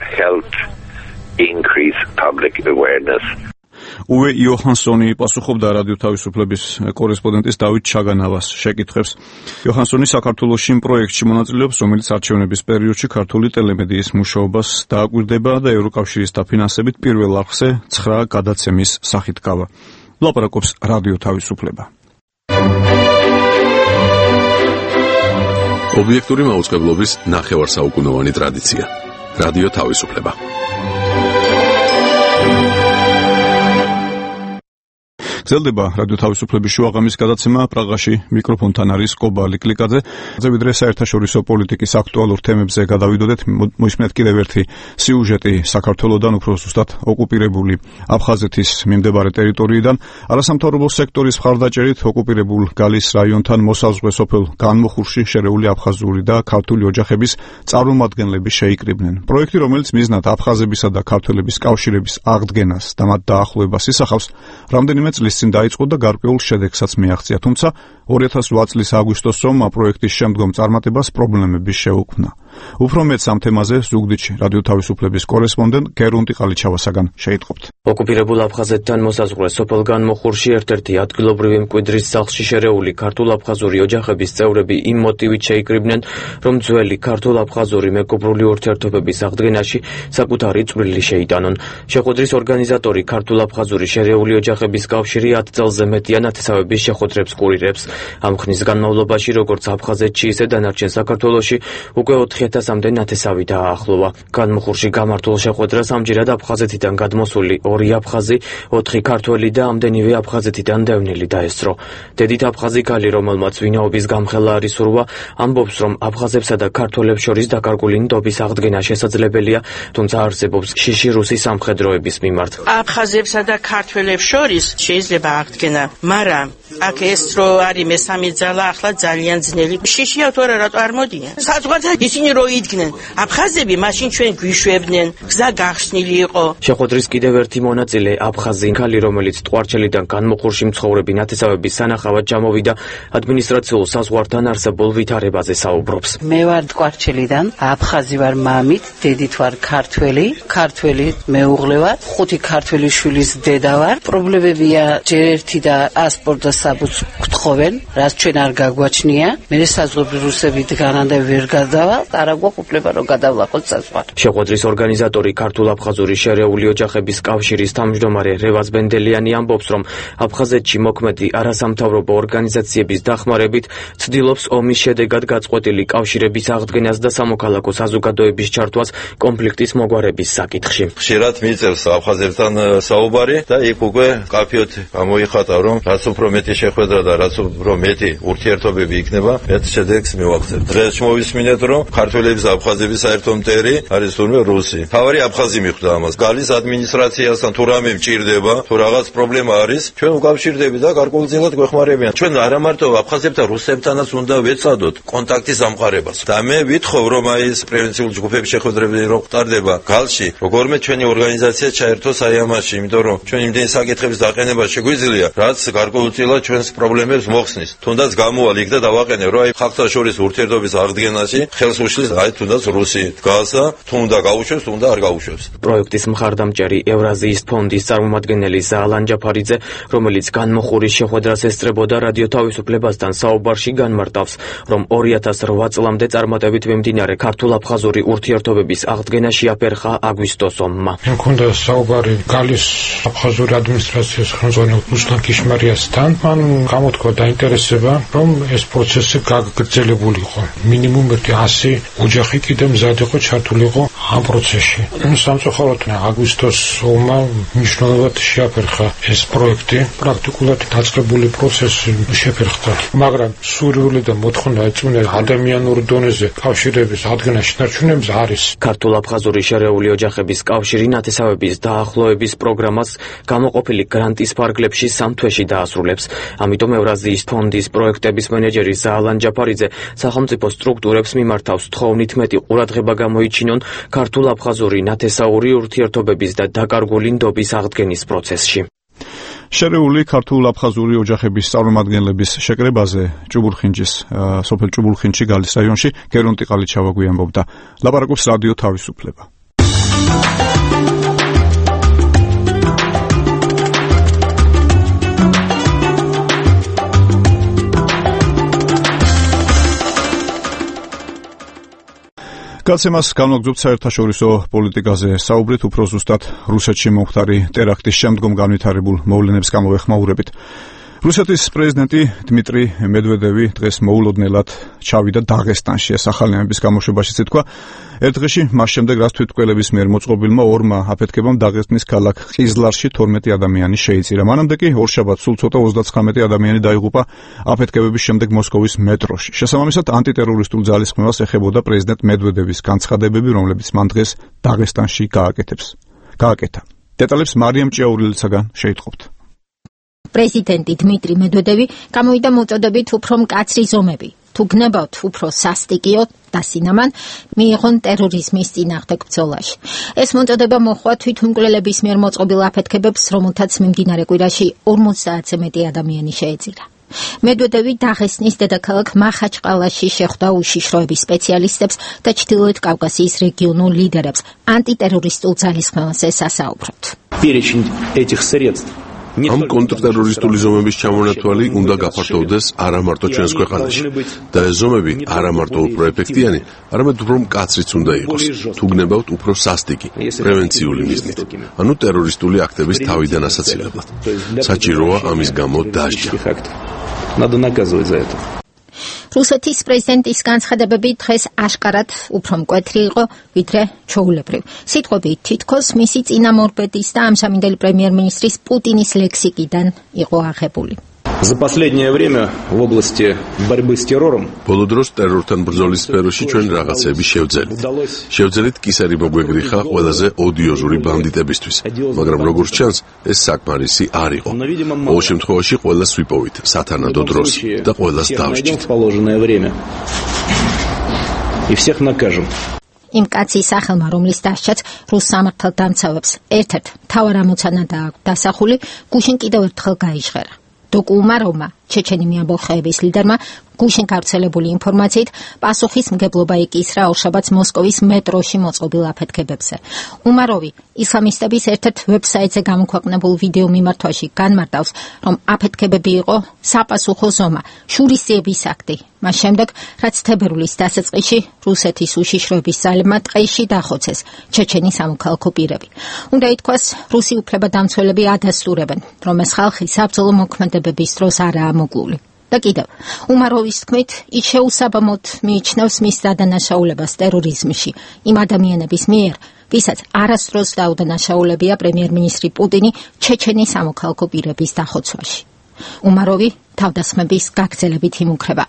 Increase public awareness. უვე იოჰანსონი პასუხობდა რადიო თავისუფლების კორესპონდენტის დავით ჩაგანავას შეკითხვებს. იოჰანსონი საქართველოში იმ პროექტში მონაწილეობს, რომელიც არჩევნების პერიოდში ქართული ტელემედიის მუშაობას დააკვირდება და ევროკავშირის დაფინანსებით პირველ არხზე 9 გადაცემის სახით გავა. ლაპარაკობს რადიო თავისუფლება. ობიექტური მაუწყებლობის ნახევარსაუკუნოვანი ტრადიცია. რადიო თავისუფლება. გრძელდება რადიო თავისუფლების შუაღამის გადაცემა. პრაღაში მიკროფონთან არის კობალი კლიკაძე. ვიდრე საერთაშორისო პოლიტიკის აქტუალურ თემებზე გადავიდოდეთ, მოისმენთ კიდევ ერთი სიუჟეტი საქართველოსთან, უფრო ზუსტად ოკუპირებული აფხაზეთის მიმდებარე ტერიტორიიდან. არასამთავრობო სექტორის მხარდაჭერით ოკუპირებულ გალის რაიონთან მოსაზღვრე სოფელ განმოხურში შერეული აფხაზური და ქართული ოჯახების წარმომადგენლები შეიკრიბნენ. პროექტი, რომელიც მიზნად აფხაზებისა და ქართველების კავშირების აღდგენას და მათ დაახლოებას ისახავს, რამდენიმე წლის წინ დაიწყო და გარკვეულ შედეგსაც მიაღწია, თუმცა 2008 წლის აგვისტოსში პროექტის შემდგომ წარმატებას პრობლემები შეუქმნა. უფრო მეტ ამ თემაზე ზუგდიდში რადიო თავისუფლების კორესპონდენტ გერუნტი ყალიჩავასაგან შეიტყობთ. ოკუპირებულ აფხაზეთთან მოსაზღვრე სოფელ განმოხურში ერთ-ერთი ადგილობრივი მკვიდრის სახლში შერეული ქართულ-აფხაზური ოჯახების წევრები იმ მოტივით შეიკრიბნენ, რომ ძველი ქართულ-აფხაზური მეგობრული ურთიერთობების აღდგენაში საკუთარი წვლილი შეიტანონ. შეხვედრის ორგანიზატორი ქართულ-აფხაზური შერეული ოჯახების კავშირი 10 წელზე მეტია ნათესავების შეხვედრებს კურირებს. ამ ხნის განმავლობაში, როგორც აფხაზეთში, ისე დანარჩენ საქართველოში უკვე 4000-მდე ნათესავი დააახლოვა. განმოხურში გამართულ შეხვედრას ამჯერად აფხაზეთიდან გადმოსული 2 აფხაზი, 4 ქართველი და ამდენივე აფხაზეთიდან დევნილი დაესწრო. დედით აფხაზი ქალი, რომელმაც ვინაობის გამხელა არის სურვა, ამბობს, რომ აფხაზებსა და ქართველებს შორის დაკარგული ნდობის აღდგენა შესაძლებელია, თუმცა არსებობს შიში რუსი სამხედროების მიმართ. აფხაზებსა და ქართველებს შორის შეიძლება აღდგენა, მაგრამ აქ ეს რო არის მესამე ძალა, ახლა ძალიან ძნელი. შიშია თუ არა, რატო არ მოდიან? საზღვართან ისინი რო იდგნენ, აფხაზები მაშინ ჩვენ გვიშვებდნენ, გზა გახსნილი იყო. შეხვედრის კიდევ ერთი მონაწილე აფხაზი ქალი, რომელიც ტყვარჩელიდან განმოხურში მცხოვრები ნათესავების სანახავად ჩამოვიდა, ადმინისტრაციულ საზღვართან არსებულ ვითარებაზე საუბრობს. მე ვარ ტყვარჩელიდან, აფხაზი ვარ მამით, დედით ვარ ქართველი მეუღლე ვარ, 5 ქართველი შვილის დედა ვარ. პრობლემებია ჯერ ერთი და პასპორტ და საბუთს გთხოვენ, რაც ჩვენ არ გაგვაჩნია. მე საზღვარი რუსები დგანან და ვერ გადავალ, არა გვაქვს უფლება რომ გადავლახოთ საზღვარი. შეხვედრის ორგანიზატორი ქართულ-აფხაზური შერეული ოჯახების კავშირის თავმჯდომარე რევაზ ბენდელიანი ამბობს, რომ აფხაზეთში მოქმედი არასამთავრობო ორგანიზაციების დახმარებით ცდილობს ომის შედეგად გაწყვეტილი კავშირების აღდგენას და სამოქალაქო საზოგადოების ჩართვას კონფლიქტის მოგვარების საკითხში. ხშირად მიიწევს აფხაზებთან საუბარი და იქ უკვე კაფეოთ გამოიხატა, რომ რაც უფრო მეტი შეხვედრა და რაც უფრო მეტი ურთიერთობები იქნება, მეტ შედეგს მივაღწევთ. დღეს მოვისმინეთ, რომ ქართველების და აფხაზების საერთო მტერი არის თურმე რუსი. თავარი აფხაზი მიხვდა ამას. გალის ადმინისტრაციასთან თუ რამე მჭირდება, თუ რაღაც პრობლემა არის, ჩვენ უკავშირდები და გარკვეულწილად გვეხმარებიან. ჩვენ არა მარტო აფხაზებთან, რუსებთანაც უნდა ვეცადოთ კონტაქტის ამყარებას. და მე ვითხოვ, რომ აი ეს პრევენციული ჯგუფების შეხვედრები რო ხტარდება გალში, როგორმე ჩვენი ორგანიზაცია ჩაერთოს აი ამაში, იმიტომ რომ ჩვენ იმდენი საკითხების დაყენება შეგვიძლია, რაც გარკვეულწილად ჩვენს პრობლემებს მოხსნის. თუნდაც გამოვალ იქ და დავაყენე, რომ აი ხალხთა შორის ურთიერთობის აღდგენაში ხელს უშლის აი თუნდაც რუსი დგასა, თუნდა გაუშვებს, თუნდა არ გაუშვებს. პროექტის მხარდამჭერი ევრაზიის ფონდის წარმომადგენელი ზალან ჯაფარიძე, რომელიც განმოხურის შეხვედრას ესწრებოდა რადიო თავისუფლებასთან საუბარში განმარტავს, რომ 2008 წლამდე წარმატებით მიმდინარე ქართულ-აფხაზური ურთიერთობების აღდგენა შეაფერხა აგვისტოს ომმა. მქონდა საუბარი გალის აფხაზური ადმინისტრაციის ხელმძღვანელ რუსლან კიშმარიასთან, მან გამოთქვა დაინტერესება, რომ ეს პროცესი გაგრძელებულიყო. მინიმუმ 100 ოჯახი კიდე მზად იყო ჩართულიყო ამ პროცესში. სამწუხაროდ აგვისტოს ომმა მნიშვნელოვნად შეაფერხა ეს პროექტი, პრაქტიკულად დაწყებული პროცესი შეფერხდა, მაგრამ სურვილი და მოთხოვნა ეწუნა ადამიანურ დონეზე კავშირების ადგენა შენარჩუნების არის. ქართულ-აფხაზური შერეული ოჯახების კავშირი ნათესავების დაახლოების პროგრამას გამოყოფილი გრანტის ფარგლებში 3 თვეში დაასრულებს. ამიტომ ევრაზიის ფონდის პროექტების მენეჯერი ზაალან ჯაფარიძე სახელმწიფო სტრუქტურებს მიმართავს თხოვნით მეტი ყურადღება გამოიჩინონ ქართულ-აფხაზური ნათესაური ურთიერთობების და დაკარგული ნდობის აღდგენის პროცესში. შერეული ქართულ-აფხაზური ოჯახების წარმომადგენლების შეკრებაზე სოფელ ჭუბულხინჩი გალის რაიონში გერონტი ყალიჩავა გვიანბობდა. ლაპარაკობს რადიო თავისუფლება. გაცემას განვაგრძობთ საერთაშორისო პოლიტიკაზე საუბრით, უფრო ზუსტად რუსეთში მომხდარი ტერაქტის შემდგომ განვითარებულ მოვლენებს გამოვეხმაურებით. რუსეთის პრეზიდენტი დმიტრი მედვედევი დღეს მოულოდნელად ჩავიდა დაღესტანში. ეს ახალი ამბების გამოშვებაშიც ითქვა. ერთ დღეში მას შემდეგ, რაც თვითმკვლელების მიერ მოწყობილმა ორმა აფეთქებამ დაღესტნის ქალაქ ყიზლარში 12 ადამიანი შეიწირა. მანამდე კი ორშაბათს სულ ცოტა 39 ადამიანი დაიღუპა აფეთქებების შემდეგ მოსკოვის მეტროში. შესაბამისად, ანტიტერორისტულ ძალისხმევას ეხებოდა პრეზიდენტ მედვედევის განცხადებები, რომლებიც მან დღეს დაღესტანში გააკეთა. დეტალებს მარიამ ჭიაურელიცაგან შეიტყობთ. პრეზიდენტი დმიტრი მედვედევი გამოვიდა მოწოდებით უფრო მკაცრი ზომები. თუ გნებავთ უფრო სასტიკიო და სინამან, მიიღონ ტერორიზმის წინააღმდეგ ბრძოლაში. ეს მოწოდება მოხდა თვითმკვლელების მიერ მოწყობილ აფეთქებებს, რომელთაც მიმდინარე კვირაში 50-ზე მეტი ადამიანი შეეწირა. მედვედევი დაღესტნის დედაქალაქ მახაჩყალაში შეხვდა უშიშროების სპეციალისტებს და ჩრდილოეთ კავკასიის რეგიონულ ლიდერებს ანტიტერორისტულ ძალისხმევაზე სასაუბროდ. ამ კონტრტერორისტული ზომების ჩამონათვალი უნდა გაფართოვდეს არა მარტო ჩვენს ქვეყანაში და ეს ზომები არა მარტო უფრო ეფექტიანი, არამედ უფრო მკაცრიც უნდა იყოს. თუ გნებავთ უფრო სასტიკი, პრევენციული მიზნით, ანუ ტერორისტული აქტების თავიდან ასაცილებლად. საჭიროა ამის გამო დასჯა. რუსეთის პრეზიდენტის განცხადებები დღეს აშკარად უფრო მკვეთრი იყო, ვიდრე ჩვეულებრივ. სიტყვები თითქოს მისი წინამორბედის და ამჟამინდელი პრემიერ-მინისტრის პუტინის ლექსიკიდან იყო აღებული. За последнее время в области борьбы с террором ბოლო დროს ტერორთან ბრძოლის სფეროში ჩვენ რაღაცები შევძელით კისერი მოგვეგრიხა ყველაზე ოდიოზური ბანდიტებისთვის, მაგრამ როგორც ჩანს, ეს საკმარისი არ იყო. ყოველ შემთხვევაში ყველას ვიპოვით სათანადო დროს და ყველას დავსჯით. И всех накажем. იმ კაცის სახელმა, რომლის დასჯაც რუს სამართალდამცავებს ერთ-ერთ მთავარ ამოცანადაა დასახული, გუშინ კიდევ ერთხელ გაიჟღერა. დოკუ უმაროვმა, ჩეჩენი მეამბოხეების ლიდერმა, გუშინ გავრცელებული ინფორმაციით პასუხისმგებლობა ეკისრა ორშაბათს მოსკოვის მეტროში მოწყობილ აფეთქებებზე. უმაროვი ისლამისტების ერთ-ერთ ვებსაიტზე გამოქვეყნებულ ვიდეო მიმართვაში განმარტავს, რომ აფეთქებები იყო საპასუხო ზომა, შურისძიების აქტი. მას შემდეგ, რაც თებერვლის დასაწყისში რუსეთის უშიშროების ძალებმა ტყეში დახოცეს ჩეჩენი სამოქალაქო პირები. უნდა ითქვას, რუსი უფლებადამცველები ადასტურებენ, რომ ეს ხალხი საბრძოლო მოქმედებების დროს არაა მოკლული. და კიდევ, უმაროვის თქმით, ის შეუსაბამოდ მიიჩნევს მის დადანაშაულებას ტერორიზმში იმ ადამიანების მიერ, ვისაც არასდროს დაუდანაშაულებია პრემიერ-მინისტრი პუტინი ჩეჩენის სამოქალაქო პირების დახოცვაში. უმაროვი თავდასხმების გაგრძელებით იმუქრება.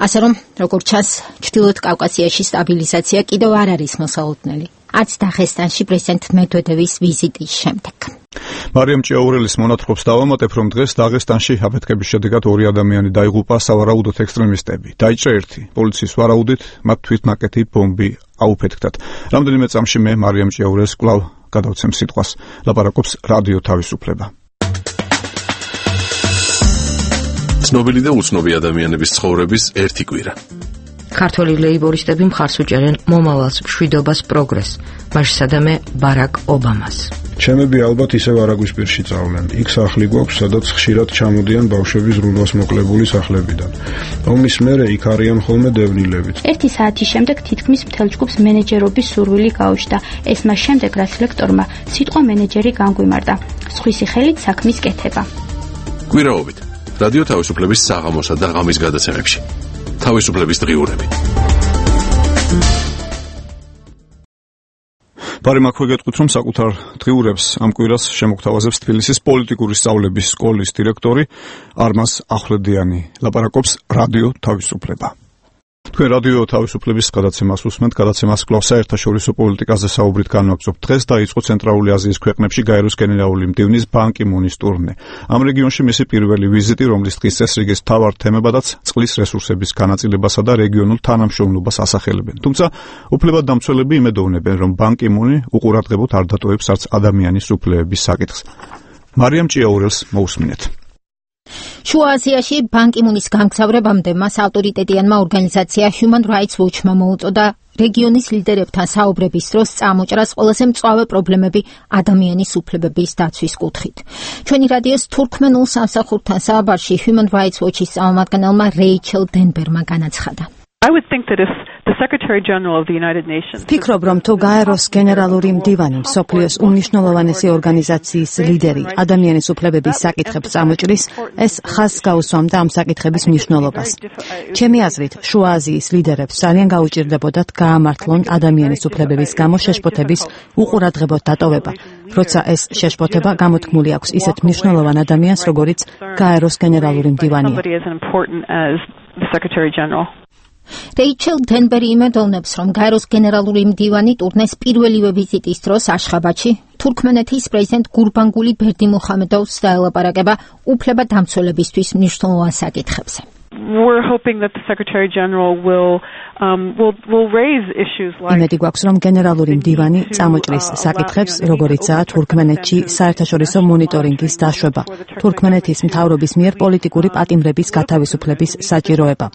ასე რომ, როგორც ჩანს, ჩრდილოეთ კავკასიაში სტაბილიზაცია კიდევ არ არის მოსალოდნელი. არც დაღესტანში პრეზიდენტ მედვედევის ვიზიტის შემდეგ. მარიამ ჭიაურელის მონათხრობს დავამატებ, რომ დღეს დაღესტანში აფეთქების შედეგად 2 ადამიანი დაიღუპა სავარაუდოდ ექსტრემისტები. დაიჭრა 1. პოლიციის ვარაუდით მათ თვითნაკეთი ბომბი აუფეთქდათ. რამდენიმე წამში მე მარიამ ჭიაურელს კვლავ გადავცემ სიტყვას. ლაპარაკობს რადიო თავისუფლება. ცნობილი და უცნობი ადამიანების ცხოვრების ერთი კვირა. ქართველი ლეიბორისტები მხარს უჭერენ მომავალს, მშვიდობას, პროგრესს, მასშტაბე ბარაკ ობამას. ჩემები ალბათ ისევ არაგვისპირში წავლენ. იქ სახლი გვაქვს, სადაც ხშირად ჩამოდიან ბავშვები ზრუნვას მოკლებული სახლებიდან. ომის მერე იქ არიან ხოლმე დევნილებით. 1 საათის შემდეგ თითქმის მთელ ჯგუფს მენეჯერობის სურვილი გაუჩნდა. ეს მას შემდეგ, რაც ლექტორმა სიტყვა მენეჯერი განგვიმარდა. სხვისი ხელით საქმის კეთება. კვირაობით რადიო თავისუფლების საღამოსა და ღამის გადაცემებში. თავისუფლების დღიურები. ბარი მაქვე გეტყვით, რომ საკუთარ დღიურებს ამ კვირას შემოგთავაზებს თბილისის პოლიტიკური სწავლების სკოლის დირექტორი არმაზ ახვლედიანი. ლაპარაკობს რადიო თავისუფლება. თქვენ რადიო თავისუფლების გადაცემას უსმენთ, გადაცემას კვლავ საერთაშორისო პოლიტიკაზე საუბრით განვაგრძობთ. დღეს დაიწყო ცენტრალური აზიის ქვეყნებში გაეროს გენერალური მდივნის ბან კი მუნის ტურნე. ამ რეგიონში მისი პირველი ვიზიტი, რომლის დღის წესრიგის მთავარ თემებადაც წყლის რესურსების განაწილებასა და რეგიონულ თანამშრომლობას ასახელებენ. თუმცა უფლებადამცველები იმედოვნებენ, რომ ბან კი მუნი უყურადღებოდ არ დატოვებს არც ადამიანის უფლებების საკითხს. მარიამ ჭიაურელს მოусმინეთ. შუა აზიაში ბან კი მუნის გამგზავრებამდე მას ავტორიტეტიანმა ორგანიზაცია Human Rights Watch-მა მოუწოდა რეგიონის ლიდერებთან საუბრების დროს წამოჭრას ყველაზე მწვავე პრობლემები ადამიანის უფლებების დაცვის კუთხით. ჩვენი რადიოს თურქმენულ სამსახურთან საუბარში Human Rights Watch-ის წარმომადგენელმა რეიჩელ დენბერმა განაცხადა. I would think that if the Secretary General of the United Nations ფიქრობ, რომ თუ გაეროს გენერალური მდივანი, მსოფლიოს უმნიშვნელოვანესი ორგანიზაციის ლიდერი ადამიანის უფლებების საკითხებს წამოჭრის, ეს ხაზს გაუსვამდა ამ საკითხების მნიშვნელობას. ჩემი აზრით, შუა აზიის ლიდერებს ძალიან გაუჭირდებოდათ გაამართლონ ადამიანის უფლებების გამო შეშფოთების უყურადღებოდ დატოვება, როცა ეს შეშფოთება გამოთქმული აქვს ისეთ მნიშვნელოვან ადამიანს, როგორიც გაეროს გენერალური მდივანია. რეიჩელ დენბერი იმედოვნებს, რომ გაეროს გენერალური მდივანი ტურნეს პირველივე ვიზიტის დროს აშხაბადში თურქმენეთის პრეზიდენტ გურბანგული ბერდიმუხამედოვს დაელაპარაკება უფლებადამცველებისთვის მნიშვნელოვან საკითხებზე. We're hoping that the Secretary General will raise issues like იმედი გვაქვს, რომ გენერალური მდივანი წამოჭრის საკითხებს, როგორიცაა თურქმენეთში საერთაშორისო მონიტორინგის დაშვება, თურქმენეთის მთავრობის მიერ პოლიტიკური პატიმრების გათავისუფლების საჭიროება.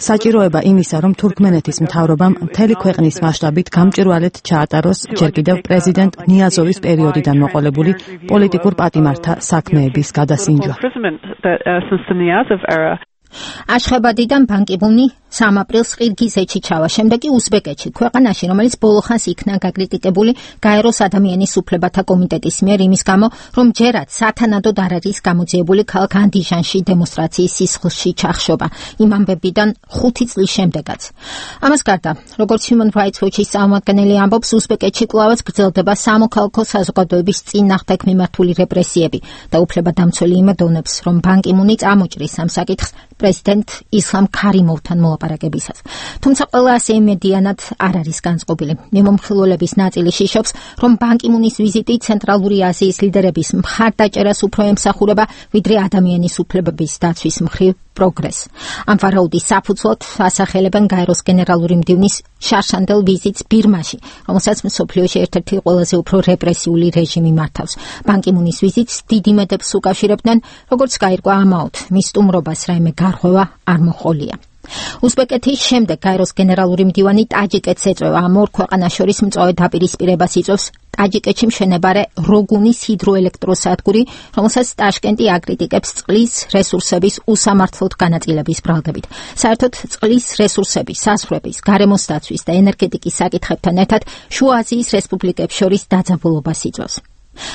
საჭიროება იმისა, რომ თურქმენეთის მთავრობამ მთელი ქვეყნის მასშტაბით გამჭვირვალედ ჩაატაროს ჯერ კიდევ პრეზიდენტ ნიაზოვის პერიოდიდან მოყოლებული პოლიტიკურ პატიმართა საქმეების გადასინჯვა. აშხაბადიდან ბან კი მუნი 3 აპრილს ყირგიზეთში ჩავა, შემდეგ კი უზბეკეთში, ქვეყანაში, რომელიც ბოლოხანს იქნა გაკრიტიკებული გაეროს ადამიანის უფლებათა კომიტეტის მიერ იმის გამო, რომ ჯერაც სათანადოდ არ არის გამოძიებული ქალაქ ანდიჟანში დემონსტრაციის სისხლში ჩახშობა, იმ ამბებიდან 5 წლის შემდეგაც. ამას გარდა, როგორც Human Rights Watch-ის წარმომადგენელი ამბობს, უზბეკეთში კვლავაც გრძელდება სამოქალაქო საზოგადოების წინააღმდეგ მიმართული რეპრესიები და უფლებადამცველი იმედოვნებს, რომ ბან კი მუნი წამოჭრის ამ საკითხს პრეზიდენტ ისლამ ქარიმოვთან მოლაპარაკებისას. თუმცა ყველა ასე იმედიანად არ არის განწყობილი. მიმომხილველების ნაწილი შიშობს, რომ ბან კი მუნის ვიზიტი ცენტრალური აზიის ლიდერების მხარდაჭერას უფრო ემსახურება, ვიდრე ადამიანის უფლებების დაცვის მხრივ პროგრესს. ამ ვარაუდის საფუძვლად ასახელებენ გაეროს გენერალური მდივნის შარშანდელ ვიზიტს ბირმაში, რომელსაც მსოფლიოში ერთ-ერთი ყველაზე უფრო რეპრესიული რეჟიმი მართავს. ბან კი მუნის ვიზიტს დიდ იმედებს უკავშირებდნენ, როგორც გაირკვა ამაოდ, მის სტუმრობას რაიმე გარღვევა არ მოჰყოლია. უზბეკეთის შემდეგ გაეროს გენერალური მდივანი ტაჯიკეთს ეწევა. ამ ორ ქვეყანას შორის მწვავე დაპირისპირებას იწვევს ტაჯიკეთში მშენებარე როგუნის ჰიდროელექტროსადგური, რომელსაც ტაშკენტი აკრიტიკებს წყლის რესურსების უსამართლოდ განაწილების ბრალდებით. საერთოდ წყლის რესურსების, საზღვრების, გარემოს დაცვის და ენერგეტიკის საკითხებთან ერთად შუა აზიის რესპუბლიკებს შორის დაძაბულობას იწვევს.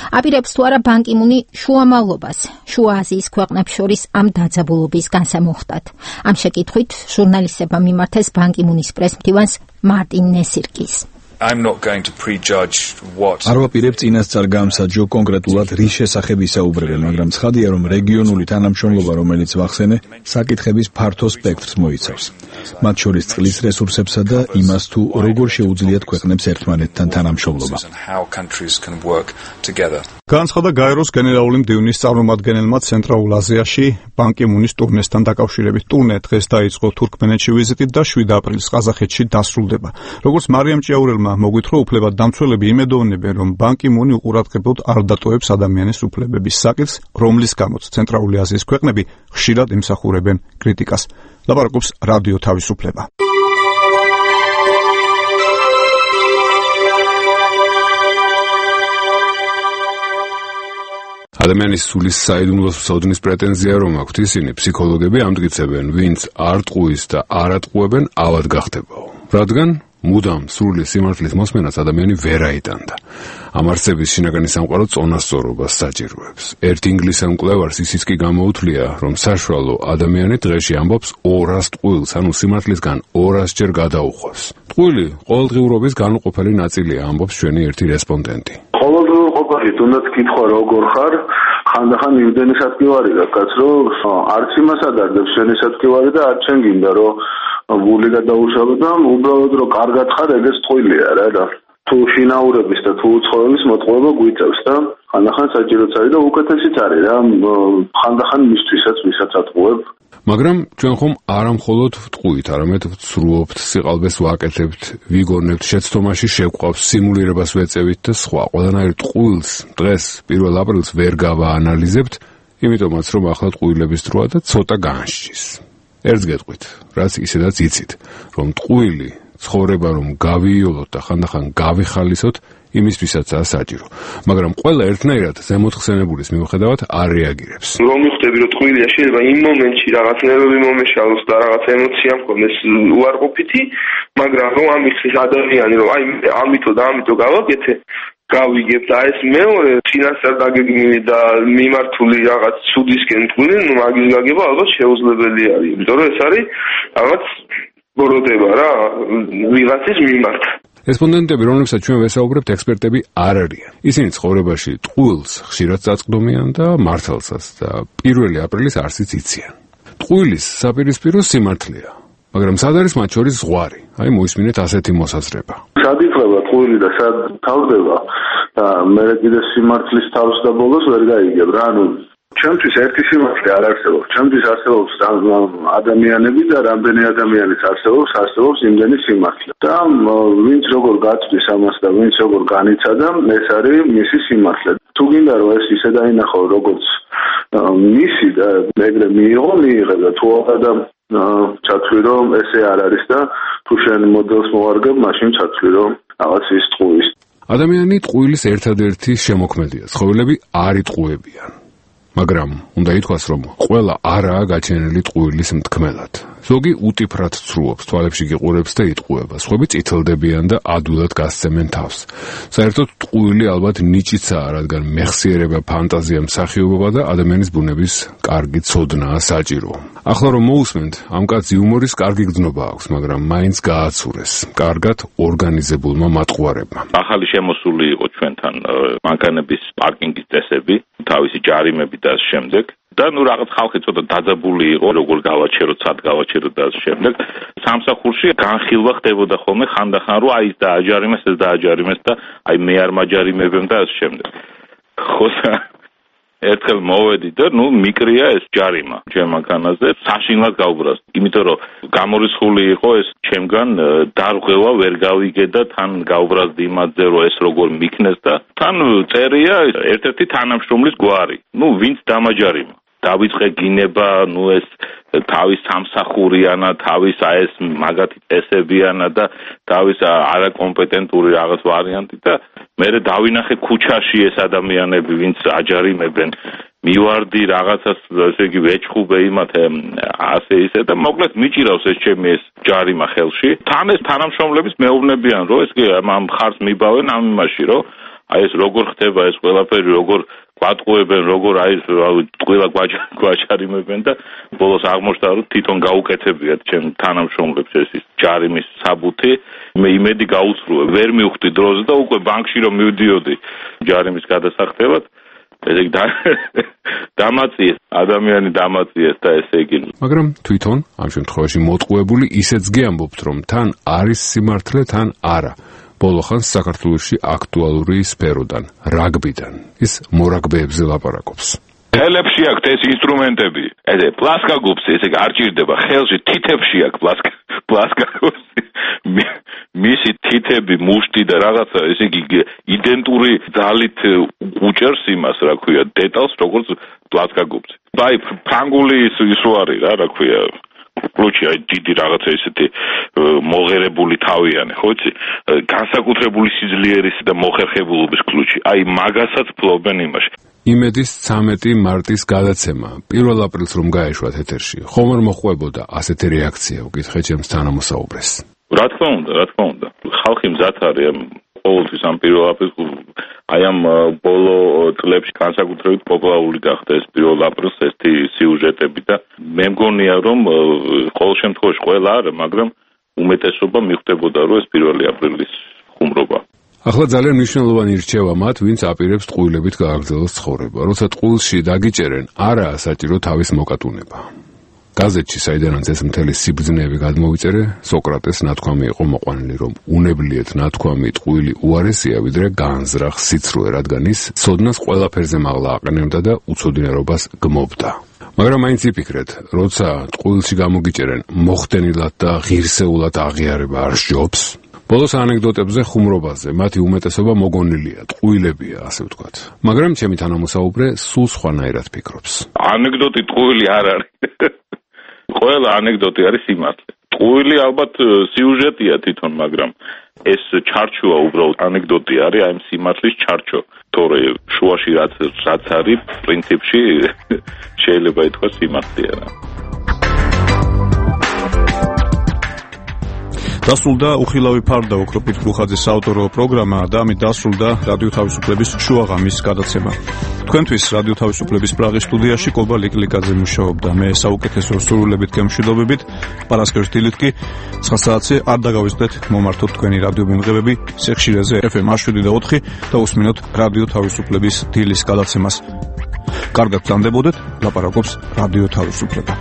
აპირებს თუ არა ბან კი მუნი შუამავლობას შუა აზიის ქვეყნებს შორის ამ დაძაბულობის განსამოხდათ. ამ შეკითხვით ჟურნალისტებმა მიმართეს ბან კი მუნის პრესმდივანს მარტინ ნესირკის. I'm not going to prejudge what არ ვაპირებ წინასწარ გამსაჯო კონკრეტულად რის შესახებ ისაუბრებენ, მაგრამ ცხადია, რომ რეგიონული თანამშრომლობა, რომელიც ვახსენე, საკითხების ფართო სპექტრს მოიცავს. მათ შორის წყლის რესურსებსა და იმას, თუ როგორ შეუძლიათ ქვეყნებს ერთმანეთთან თანამშრომლობა. განაცხადა გაეროს გენერალური მდივნის წარმომადგენელმა ცენტრალურ აზიაში ბან კი მუნის ტურნესთან დაკავშირებით. ტურნე დღეს დაიწყო თურქმენეთში ვიზიტით და 7 აპრილს ყაზახეთში დასრულდება. როგორც მარიამ ჭიაურელმა მოგვითხრა, უფლებადამცველები იმედოვნებენ, რომ ბან კი მუნი უყურადღებოდ არ დატოვებს ადამიანის უფლებების საკითხს, რომლის გამოც ცენტრალური აზიის ქვეყნები ხშირად ემსახურებენ კრიტიკას. ლაპარაკობს რადიო თავისუფლება. ადამიანის სულის საიდუმლოს უსაუძნის პრეტენზია რომ აქვთ ისინი, ფსიქოლოგები ამტკიცებენ, ვინც არ ტყუის და არ ატყუებენ, ავად გახდებაო. რადგან მუდამ სრული სიმართლის მოსმენას ადამიანი ვერ აიტანდა. ამ არსების შინაგანი სამყარო წონასწორობას საჭიროებს. ერთ ინგლისელ მკვლევარს ისიც კი გამოუთვლია, რომ საშუალო ადამიანი დღეში ამბობს 200 ტყუილს, ანუ სიმართლისგან 200 ჯერ გადაუხვევს. ტყუილი ყოველდღიურობის განუყოფელი ნაწილია, ამბობს ჩვენი ერთი რესპონდენტი. ყოველდღიურობაში თუნდაც კითხვა როგორ ხარ, ხანდახან იმდენი სათქივარი გაქვს, რომ არც იმას ადარდებს შენი სათქივარი და არც შენ გინდა რომ გული გადაუშალო და უბრალოდ რომ კარგად ხარ, ეგეც ტყუილია რა და თუ შინაურების და თუ უცხოების მოტყუება გვიწევს და ხანდახან საჭიროც არის და უკეთესიც არის რა, ხანდახან მისთვისაც ვისაც ატყუებ. მაგრამ ჩვენ ხომ არა მხოლოდ ვტყუით, არამედ ვცრუობთ, სიყალბეს ვაკეთებთ, ვიგონებთ, შეცდომაში შევყვავთ, სიმულირებას ვეწევით და სხვა. ყველანაირ ტყუილს დღეს 1 აპრილს ვერ გავაანალიზებთ, იმიტომაც რომ ახლა ტყუილების დროა და ცოტა განსჯის. ერთს გეტყვით, რაც ისედაც იცით, რომ ტყუილი ცხოვრება რომ გავიოლოთ და ხანდახან გავიხალისოთ, იმისთვისაც საჭირო. მაგრამ ყველა ერთნაირად ზემოთხსენებულის მიუხედავად არ რეაგირებს. რომ მიხვდები რომ ტყუილია შეიძლება იმ მომენტში რაღაც ნერვები მომეშალოს და რაღაც ემოცია მქონდეს უარყოფითი, მაგრამ რომ ამისთვის ადამიანი რომ აი ამითო და ამითო გავაკეთე, გავიგებ და ეს მეორე წინასწარ დაგეგმილი და მიმართული რაღაც ცუდისკენ ტყუილი, ну მაგის გაგება ალბათ შეუძლებელი არის, იმიტომ რომ ეს არის რაღაც ბოროტება რა ვიღაცის მიმართ. რესპონდენტები, რომლებსაც ჩვენ ვესაუბრებთ, ექსპერტები არ არიან. ისინი ცხოვრებაში ტყუილს ხშირად წაწყდომიან და მართალსაც და 1 აპრილის არსიც იციან. ტყუილის საპირისპირო სიმართლეა, მაგრამ სად არის მათ შორის ზღვარი? აი მოისმინეთ ასეთი მოსაზრება. სად იფრება ტყუილი და სად თავდება და მე კიდე სიმართლის თავს და ბოლოს ვერ გაიგებ რა, ანუ ჩემთვის ერთი სიმართლე არ არსებობს. ჩემთვის არსებობს ადამიანები და რამდენი ადამიანის არსებობს იმდენი სიმართლე. და ვინც როგორ გაწვის ამას და ვინც როგორ განიცადა, ეს არის მისი სიმართლე. თუ გინდა რომ ეს ისე დაინახო როგორც მისი და მეგრე მიიღე და თუ და ჩათვლი რომ ესე არ არის და თუ შენ მოდელს მოვარგებ, მაშინ ჩათვლი რომ რაღაც ის ტყუის. ადამიანი ტყუილის ერთადერთი შემოქმედია. ცხოველები არ იტყუებიან. მაგრამ უნდა ითქვას, რომ ყველა არაა გაჩენილი ტყუილის მთქმელად. ზოგი უტიფრად ცრუობს, თვალებში გიყურებს და იტყუება, სხვები წითლდებიან და ადვილად გასცემენ თავს. საერთოდ ტყუილი ალბათ ნიჭიცაა, რადგან მეხსიერება, ფანტაზია, მსახიობობა და ადამიანის ბუნების კარგი ცოდნაა საჭირო. ახლა რომ მოусმენთ, ამ კაცს იუმორის კარგი გრძნობა აქვს, მაგრამ მაინც გააცურეს კარგად ორგანიზებულმა მატყუარებმა. ახალი შემოსული იყო ჩვენთან მანქანების პარკინგის წესები, თავისი ჯარიმები და შემდეგ და ნუ რაღაც ხალხი ცოტა დაძაბული იყო, როგორ გავაჩეროთ, სად გავაჩეროთ და შემდეგ. სამსახურში განხილვა ხდებოდა ხოლმე ხანდახან, რომ აი ეს დააჯარიმეს, ეს დააჯარიმეს და აი მე არ მაჯარიმებեմ და ამ შემდეგ. ხო ერთხელ მოვედი და ნუ მიკრია ეს ჯარიმა ჩემ მანქანაზე, საშინლად გავბრაზ. იმიტომ რომ გამორიცხული იყო ეს ჩემგან დარღვევა ვერ გავიგე და თან გავბრაზდი იმაზე, რომ ეს როგორ მიქნეს და თან წერია ერთ-ერთი თანამშრომლის გვარი. ნუ ვინც დამაჯარიმა. დავიწყე გინება, ნუ ეს თავის სამსახურიანა, თავის ეს მაგათი წესებიანა და თავის არაკომპეტენტური რაღაც ვარიანტი და მე დავინახე ქუჩაში ეს ადამიანები, ვინც აჯარიმებენ, მივარდი რაღაცას, ესე იგი ვეჭხუბე იმათ ასე ისე და მოკლედ მიჭირავს ეს ჩემი ეს ჯარიმა ხელში. თან ეს თანამშრომლების მეუბნებიან, რომ ეს ამ ხარს მიბავენ ამ იმაში, რომ აი ეს როგორ ხდება ეს ყველაფერი, როგორ გვატყუებენ, როგორ აი ყველა გვაჯარიმებენ და ბოლოს აღმოჩნდა, რომ თვითონ გაუკეთებიათ ჩემ თანამშრომლებს ეს ჯარიმის საბუთი. მე იმედი გაუცრუე, ვერ მივხვდი დროზე და უკვე ბანკში რომ მივდიოდი ჯარიმის გადასახდელად, ესე იგი დამაწიეს, ადამიანი დამაწიეს და ესე იგი. მაგრამ თვითონ ამ შემთხვევაში მოტყუებული ისეც გიამბობთ, რომ თან არის სიმართლე, თან არა. ბოლოხანს საქართველოში აქტუალური სფეროდან, რაგბიდან. ის მორაგბეებზე ლაპარაკობს. ხელებში აქვს ეს ინსტრუმენტები. ესე პლასკა გუბსი, ესე არ ჭირდება ხელში, თითებში აქვს პლასკა გუბსი. მისი თითები, მუშტი და რაღაცა, ესე იგი იდენტური ძალით უჭერს იმას, რა ქვია, დეტალს, როგორც პლასკა გუბსი. აი, ფრანგული ის არის რა, რა ქვია, კლუჩი, აი დიდი რაღაცა ისეთი მოღერებული თავიანი, ხო იცი? განსაკუთრებული სიძლიერის და მოხერხებულობის კლუჩი. აი მაგასაც ფლობენ იმაში. იმედის 13 მარტის გადაცემა 1 აპრილს რომ გაეშვათ ეთერში. ხომ არ მოხვებოდა ასეთი რეაქცია, უკითხე ჩემს თანამოსაუბრეს. რა თქმა უნდა. ხალხი მზად არის ყოველთვის ამ პირველ აპრილს აი ამ ბოლო წლებში განსაკუთრებით პოპულარული გახდა ეს პირველ აპრილს ესეთი სიუჟეტები და მე მგონია რომ ყოველ შემთხვევაში ყველა არა, მაგრამ უმეტესობა მიხვდებოდა რომ ეს პირველი აპრილის ხუმრობა. ახლა ძალიან მნიშვნელოვანი რჩევა მათ, ვინც აპირებს ტყუილებით გააგრძელოს ცხოვრება. როცა ტყუილში დაგიჭერენ, არაა საჭირო თავის მოკატუნება. გაზეთში, საიდანაც ეს მთელი სიბრძნეები გადმოვიწერე, სოკრატეს ნათქვამი იყო მოყვანილი, რომ უნებლიეთ ნათქვამი ტყუილი უარესია, ვიდრე განზრახ სიცრუე, რადგან ის ცოდნას ყველაფერზე მაღლა აყენებდა და უცოდინარობას გმობდა. მაგრამ მაინც იფიქრეთ, როცა ტყუილში გამოგიჭერენ, მოხდენილად და ღირსეულად აღიარება არ სჯობს. ბოლოს ანეკდოტებზე, ხუმრობაზე, მათი უმეტესობა მოგონილია, ტყუილებია, ასე ვთქვათ. მაგრამ ჩემი თანამოსაუბრე სულ სხვანაირად ფიქრობს. ანეკდოტი ტყუილი არ არის. ყველა ანეკდოტი არის სიმართლე. ტყუილი ალბათ სიუჟეტია თვითონ, მაგრამ ეს ჩარჩოა უბრალოდ ანეკდოტი არის, აი სიმართლის ჩარჩო. თორე შუაში რაც არის, პრინციპში შეიძლება ითქვას სიმართლეა რა. დასრულდა უხილავი ფარდა ოქროპირ გუხაძის საავტორო პროგრამა და ამით დასრულდა რადიო თავისუფლების შუაღამის გადაცემა. თქვენთვის რადიო თავისუფლების პრაღის სტუდიაში კობა ლიკლიკაძე მუშაობდა. მე საუკეთესო სურვილებით გემშვიდობებით, პარასკევის დილით კი 9 საათზე არ დაგავიწყდეთ მომართოთ თქვენი რადიო მიმღებები სიხშირეზე FM 7 და უსმინოთ რადიო თავისუფლების დილის გადაცემას. კარგად გრძანდებოდეთ, ლაპარაკობს რადიო თავისუფლება.